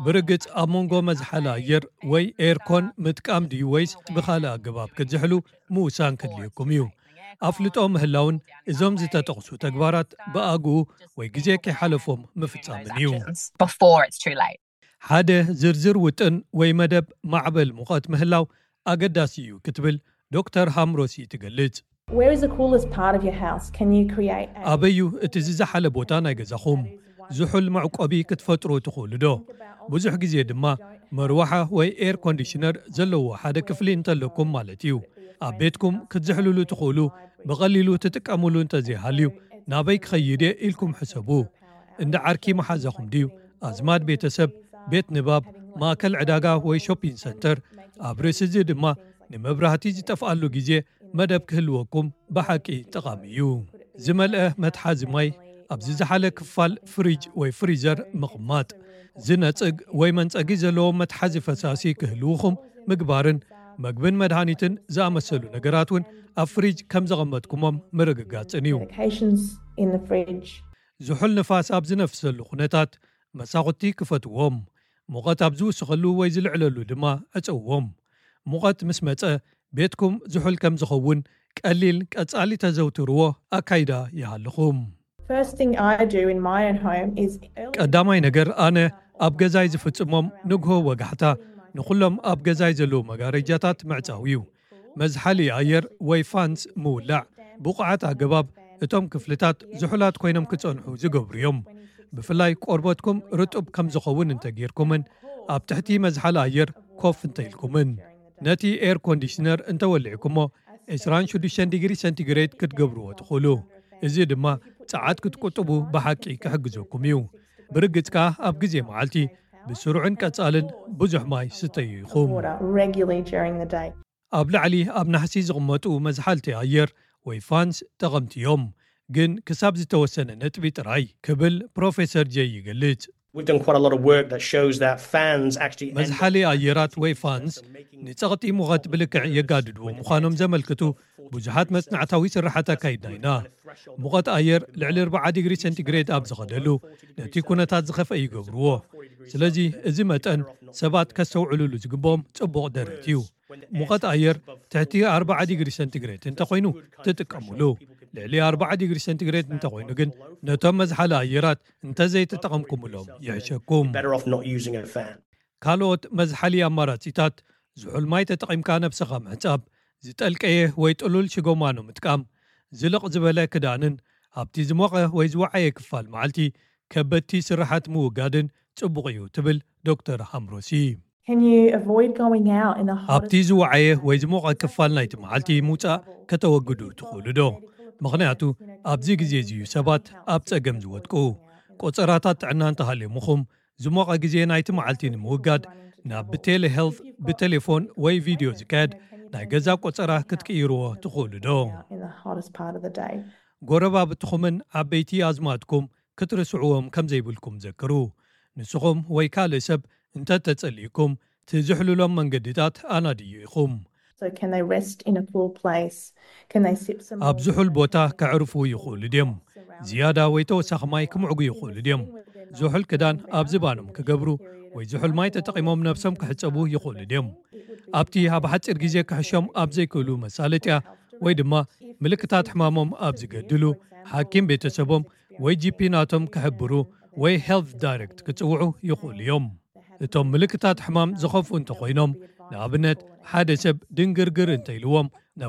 ብርግጽ ኣብ መንጎ መዝሓሊ ኣየር ወይ ኤርኮን ምጥቃም ድዩ ወይስ ብኻልእ ኣገባብ ክትዝሕሉ ምውሳን ከድልየኩም እዩ። ኣፍልጦ ምህላውን እዞም ዝተጠቕሱ ተግባራት ብኣግኡ ወይ ግዜ ከይሓለፎም ምፍጻምን እዩ። Before it's too late. ሓደ ዝርዝር ውጥን ወይ መደብ ማዕበል ሙቐት ምህላው ኣገዳሲ እዩ ክትብል ዶክተር ሃምሮሲ ትገልጽ። Where is the coolest part of your house? Can you create a ኣበዩ እቲ ዝዘሓለ ቦታ ናይ ገዛኹም? ዝሑል መዕቆቢ ክትፈጥሩ ትኽእሉ ዶ? ብዙሕ ግዜ ድማ መርዋሓ ወይ ኤር ኮንዲሽነር ዘለዎ ሓደ ክፍሊ እንተለኩም ማለት እዩ። ኣብ ቤትኩም ክትዝሕልሉ ትኽእሉ ብቐሊሉ ትጥቀሙሉ እንተዘይሃልዩ ናበይ ክኸይድ እየ ኢልኩም ሕሰቡ። እንዳ ዓርኪ መሓዛኹም ድዩ? ኣዝማድ ቤተሰብ፣ ቤት ንባብ፣ ማእከል ዕዳጋ ወይ ሾፒን ሰንተር። ኣብ ርእሲ እዚ ድማ ንመብራህቲ ዝጠፍኣሉ ግዜ መደብ ክህልወኩም ብሓቂ ጠቓሚ እዩ። ዝመልአ መትሓዚ ማይ ኣብ ዝዘሓለ ክፋል ፍሪጅ ወይ ፍሪዘር ምቕማጥ። ዝነጽግ ወይ መንጸጊ ዘለዎ መትሓዚ ፈሳሲ ክህልውኹም ምግባርን መግብን መድሃኒትን ዝኣመሰሉ ነገራት እውን ኣብ ፍሪጅ ከም ዘቐመጥኩሞም ምርግጋጽን እዩ። Medications in the fridge. ዝሑል ንፋስ ኣብ ዝነፍሰሉ ኩነታት መሳኹቲ ክፈትዎም፣ ሙቐት ኣብ ዝውስኸሉ ወይ ዝልዕለሉ ድማ ዕጸውዎም። ሙቐት ምስ መጸ ቤትኩም ዝሑል ከም ዝኸውን ቀሊል ቀጻሊ ተዘውትርዎ ኣካይዳ ይሃልኹም። First thing I do in my own home is early ቀዳማይ ነገር ኣነ ኣብ ገዛይ ዝፍጽሞም ንግሆ ወጋሕታ ንኹሎም ኣብ ገዛይ ዘለዉ መጋረጃታት ምዕጻው እዩ። መዝሓሊ ኣየር ወይ ፋንስ ምውላዕ ብቑዓት ኣገባብ እቶም ክፍልታት ዝሑላት ኮይኖም ክጸንሑ ዝገብሩ እዮም። ብፍላይ ቆርበትኩም ርጡብ ከም ዝኸውን እንተጌርኩምን ኣብ ትሕቲ መዝሓሊ ኣየር ኮፍ እንተኢልኩምን ነቲ ኤር ኮንዲሽነር እንተወሊዕኩሞ ዕስራን ሽዱሽተን ዲግሪ ሰንቲግሬድ ክትገብርዎ ትኽእሉ። እዚ ድማ ጸዓት ክትቁጥቡ ብሓቂ ክሕግዘኩም እዩ። ብርግጽ ከኣ ኣብ ግዜ መዓልቲ ብስሩዕን ቀጻልን ብዙሕ ማይ ስተዩ ኢኹም። Water regularly during the day. ኣብ ላዕሊ ኣብ ናሕሲ ዝቕመጡ መዝሓልቲ ኣየር ወይ ፋንስ ጠቐምቲ እዮም፣ ግን ክሳብ ዝተወሰነ ነጥቢ ጥራይ ክብል ፕሮፌሰር ጀይ ይገልጽ። We've done quite a lot of work that shows that fans actually end up መዝሓሊ ኣየራት ወይ ፋንስ ንጸቕጢ ሙቐት ብልክዕ የጋድድዎ ምዃኖም ዘመልክቱ ብዙሓት መጽናዕታዊ ስራሓት ኣካይድና ኢና። ሙቐት ኣየር ልዕሊ ኣርባዓ ዲግሪ ሰንቲግሬድ ኣብ ዝኸደሉ ነቲ ኩነታት ዝኸፍአ ይገብርዎ። ስለዚ እዚ መጠን ሰባት ከስተውዕሉሉ ዝግብኦም ጽቡቕ ደረት እዩ። ሙቐት ኣየር ትሕቲ ኣርባዓ ዲግሪ ሰንቲግሬድ እንተኾይኑ ትጥቀሙሉ። ልዕሊ ኣርባዓ ዲግሪ ሰንቲግሬድ እንተኾይኑ ግን ነቶም መዝሓሊ ኣየራት እንተዘይተጠቐምኩምሎም ይሕሸኩም። Better off not using a fan. ካልኦት መዝሓሊ ኣማራጺታት ዝሑል ማይ ተጠቒምካ ነብስኻ ምሕጻብ፣ ዝጠልቀየ ወይ ጥሉል ሽጎማኖ ምጥቃም፣ ዝልቕ ዝበለ ክዳንን ኣብቲ ዝሞቐ ወይ ዝወዓየ ክፋል መዓልቲ ከበድቲ ስራሓት ምውጋድን ጽቡቕ እዩ ትብል ዶክተር ሃምሮሲ። Can you avoid going out in the hottest ኣብቲ ዝወዓየ ወይ ዝሞቐ ክፋል ናይቲ መዓልቲ ምውጻእ ከተወግዱ ትኽእሉ ዶ? ምኽንያቱ ኣብዚ ግዜ እዚ እዩ ሰባት ኣብ ጸገም ዝወድቁ። ቆጸራታት ጥዕና እንተሃልዮምኹም ዝሞቐ ግዜ ናይቲ መዓልቲ ንምውጋድ ናብ ብቴሌ ሄልት ብቴሌፎን ወይ ቪድዮ ዝካየድ ናይ ገዛ ቆጸራ ክትቅይርዎ ትኽእሉ ዶ? in the hottest part of the day? ጎረባብትኹምን ዓበይቲ ኣዝማድኩም ክትርስዕዎም ከም ዘይብልኩም ዘክሩ። ንስኹም ወይ ካልእ ሰብ እንተተጸሊእኩም ትዝሕልሎም መንገድታት ኣናድዩ ኢኹም። So can they rest in a cool place? Can they sip some ኣብ ዝሑል ቦታ ከዕርፉ ይኽእሉ ድዮም? ዝያዳ ወይ ተወሳኺ ማይ ክምዕጉ ይኽእሉ ድዮም? ዝሑል ክዳን ኣብ ዝባኖም ክገብሩ ወይ ዝሑል ማይ ተጠቒሞም ነብሶም ክሕጸቡ ይኽእሉ ድዮም? ኣብቲ ኣብ ሓጺር ግዜ ክሕሾም ኣብ ዘይክእሉ መሳለጥያ ወይ ድማ ምልክታት ሕማሞም ኣብ ዝገድሉ ሓኪም ቤተሰቦም ወይ ጂፒ ናቶም ክሕብሩ ወይ ሄልት ዳይሬክት ክጽውዑ ይኽእሉ እዮም። እቶም ምልክታት ሕማም ዝኸፍኡ እንተኾይኖም፣ ንኣብነት ሓደ ሰብ ድንግርግር እንተኢልዎም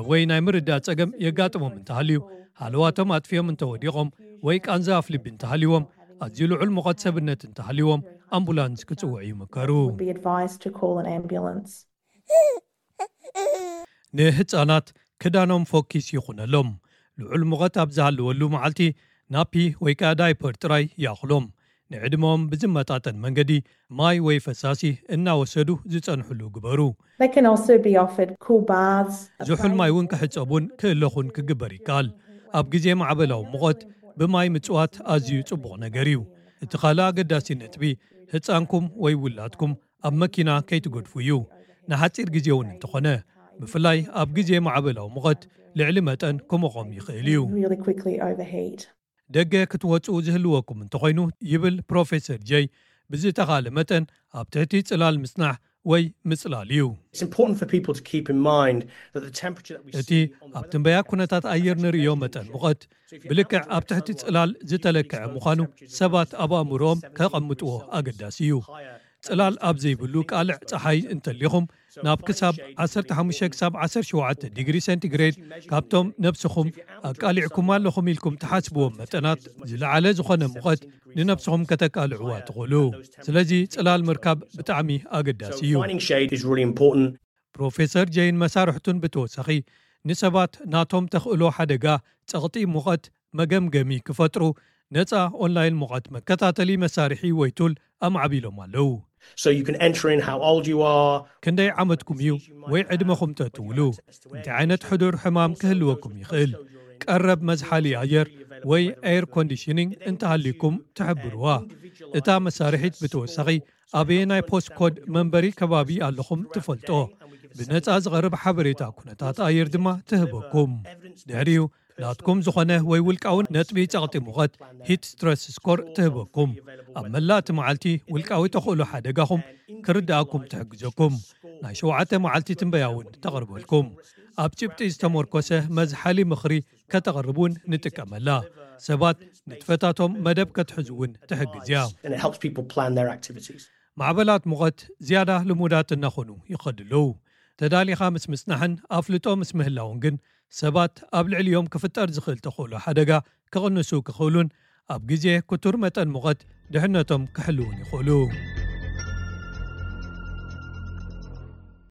ወይ ናይ ምርዳእ ጸገም የጋጥሞም እንተሃልዩ፣ ሃለዋቶም ኣጥፊኦም እንተወዲቖም ወይ ቃንዛ ኣፍልቢ እንተሃልዎም፣ ኣዝዩ ልዑል ሙቐት ሰብነት እንተሃልዎም ኣምቡላንስ ክጽውዑ ይምከሩ። Be advised to call an ambulance. ንህጻናት ክዳኖም ፎኪስ ይኹነሎም። ልዑል ሙቐት ኣብ ዝሃለወሉ መዓልቲ ናፒ ወይ ከኣ ዳይፐር ጥራይ ይኣኽሎም። ንዕድመኦም ብዝመጣጠን መንገዲ ማይ ወይ ፈሳሲ እናወሰዱ ዝጸንሕሉ ግበሩ። They can also be offered cool baths. ዝሑል ማይ እውን ክሕጸቡን ክእለኹን ክግበር ይከኣል። ኣብ ግዜ ማዕበላዊ ሙቐት ብማይ ምጽዋት ኣዝዩ ጽቡቕ ነገር እዩ። እቲ ካልእ ኣገዳሲ ነጥቢ ህጻንኩም ወይ ውላድኩም ኣብ መኪና ከይትገድፉ እዩ። ንሓጺር ግዜ እውን እንተኾነ፣ ብፍላይ ኣብ ግዜ ማዕበላዊ ሙቐት ልዕሊ መጠን ክሞቖም ይኽእል እዩ። Really quickly overheat. ደገ ክትወጽኡ ዝህልወኩም እንተኾይኑ ይብል ፕሮፌሰር ጀይ፣ ብዝተኻለ መጠን ኣብ ትሕቲ ጽላል ምጽናሕ ወይ ምጽላል እዩ። It's important for people to keep in mind that the temperature that we እቲ see on the ኣብ ትንበያ ኩነታት ኣየር ንርእዮ መጠን ሙቐት ብልክዕ ኣብ ትሕቲ ጽላል ዝተለክዐ ምዃኑ ሰባት ኣብ ኣእምሮኦም ከቐምጥዎ ኣገዳሲ እዩ። ጽላል ኣብ ዘይብሉ ቃልዕ ጸሓይ እንተሊኹም ናብ ክሳብ ዓሰርተ ሓሙሽተ ክሳብ ዓሰርተ ሸውዓተ ዲግሪ ሴንቲግሬድ ካብቶም ነብስኹም ኣቃሊዕኩም ኣለኹም ኢልኩም ትሓስብዎም መጠናት ዝለዓለ ዝኾነ ሙቐት ንነብስኹም ከተቃልዕዋ ትኽእሉ። ስለዚ ጽላል ምርካብ ብጣዕሚ ኣገዳሲ እዩ። Finding shade is really important. ፕሮፌሰር ጀይን መሳርሕቱን ብተወሳኺ ንሰባት ናቶም ተኽእሎ ሓደጋ ጸቕጢ ሙቐት መገምገሚ ክፈጥሩ ነጻ ኦንላይን ሙቐት መከታተሊ መሳርሒ ወይ ቱል ኣማዕቢሎም ኣለዉ። So you can enter in how old you are. ክንደይ ዓመትኩም እዩ ወይ ዕድመኹም ተትውሉ፣ እንታይ ዓይነት ሕዱር ሕማም ክህልወኩም ይኽእል፣ ቀረብ መዝሓሊ ኣየር ወይ ኤር ኮንዲሽኒንግ እንተሃልዩኩም ትሕብርዋ። እታ መሳርሒት ብተወሳኺ ኣበየናይ ፖስት ኮድ መንበሪ ከባቢ ኣለኹም ትፈልጦ። ብነጻ ዝቐርብ ሓበሬታ ኩነታት ኣየር ድማ ትህበኩም። ድሕሪኡ ናትኩም ዝኾነ ወይ ውልቃዊ ነጥቢ ጸቕጢ ሙቐት፣ ሂት ስትረስ ስኮር፣ ትህበኩም። ኣብ መላእ እቲ መዓልቲ ውልቃዊ ተኽእሎ ሓደጋኹም ክርድኣኩም ትሕግዘኩም። ናይ ሸውዓተ መዓልቲ ትንበያ እውን ተቕርበልኩም። ኣብ ጭብጢ ዝተመርኮሰ መዝሓሊ ምኽሪ ከተቕርብ እውን ንጥቀመላ። ሰባት ንጥፈታቶም መደብ ከትሕዙ እውን ትሕግዝ እያ። And it helps people plan their activities. ማዕበላት ሙቐት ዝያዳ ልሙዳት እናኾኑ ይኸዱ ኣለዉ። ተዳሊኻ ምስ ምጽናሕን ኣፍልጦ ምስ ምህላውን ግን ሰባት ኣብ ልዕሊኦም ክፍጠር ዝኽእል ተኽእሎ ሓደጋ ክቕንሱ ክኽእሉን ኣብ ግዜ ክቱር መጠን ሙቐት ድሕነቶም ክሕልውን ይኽእሉ።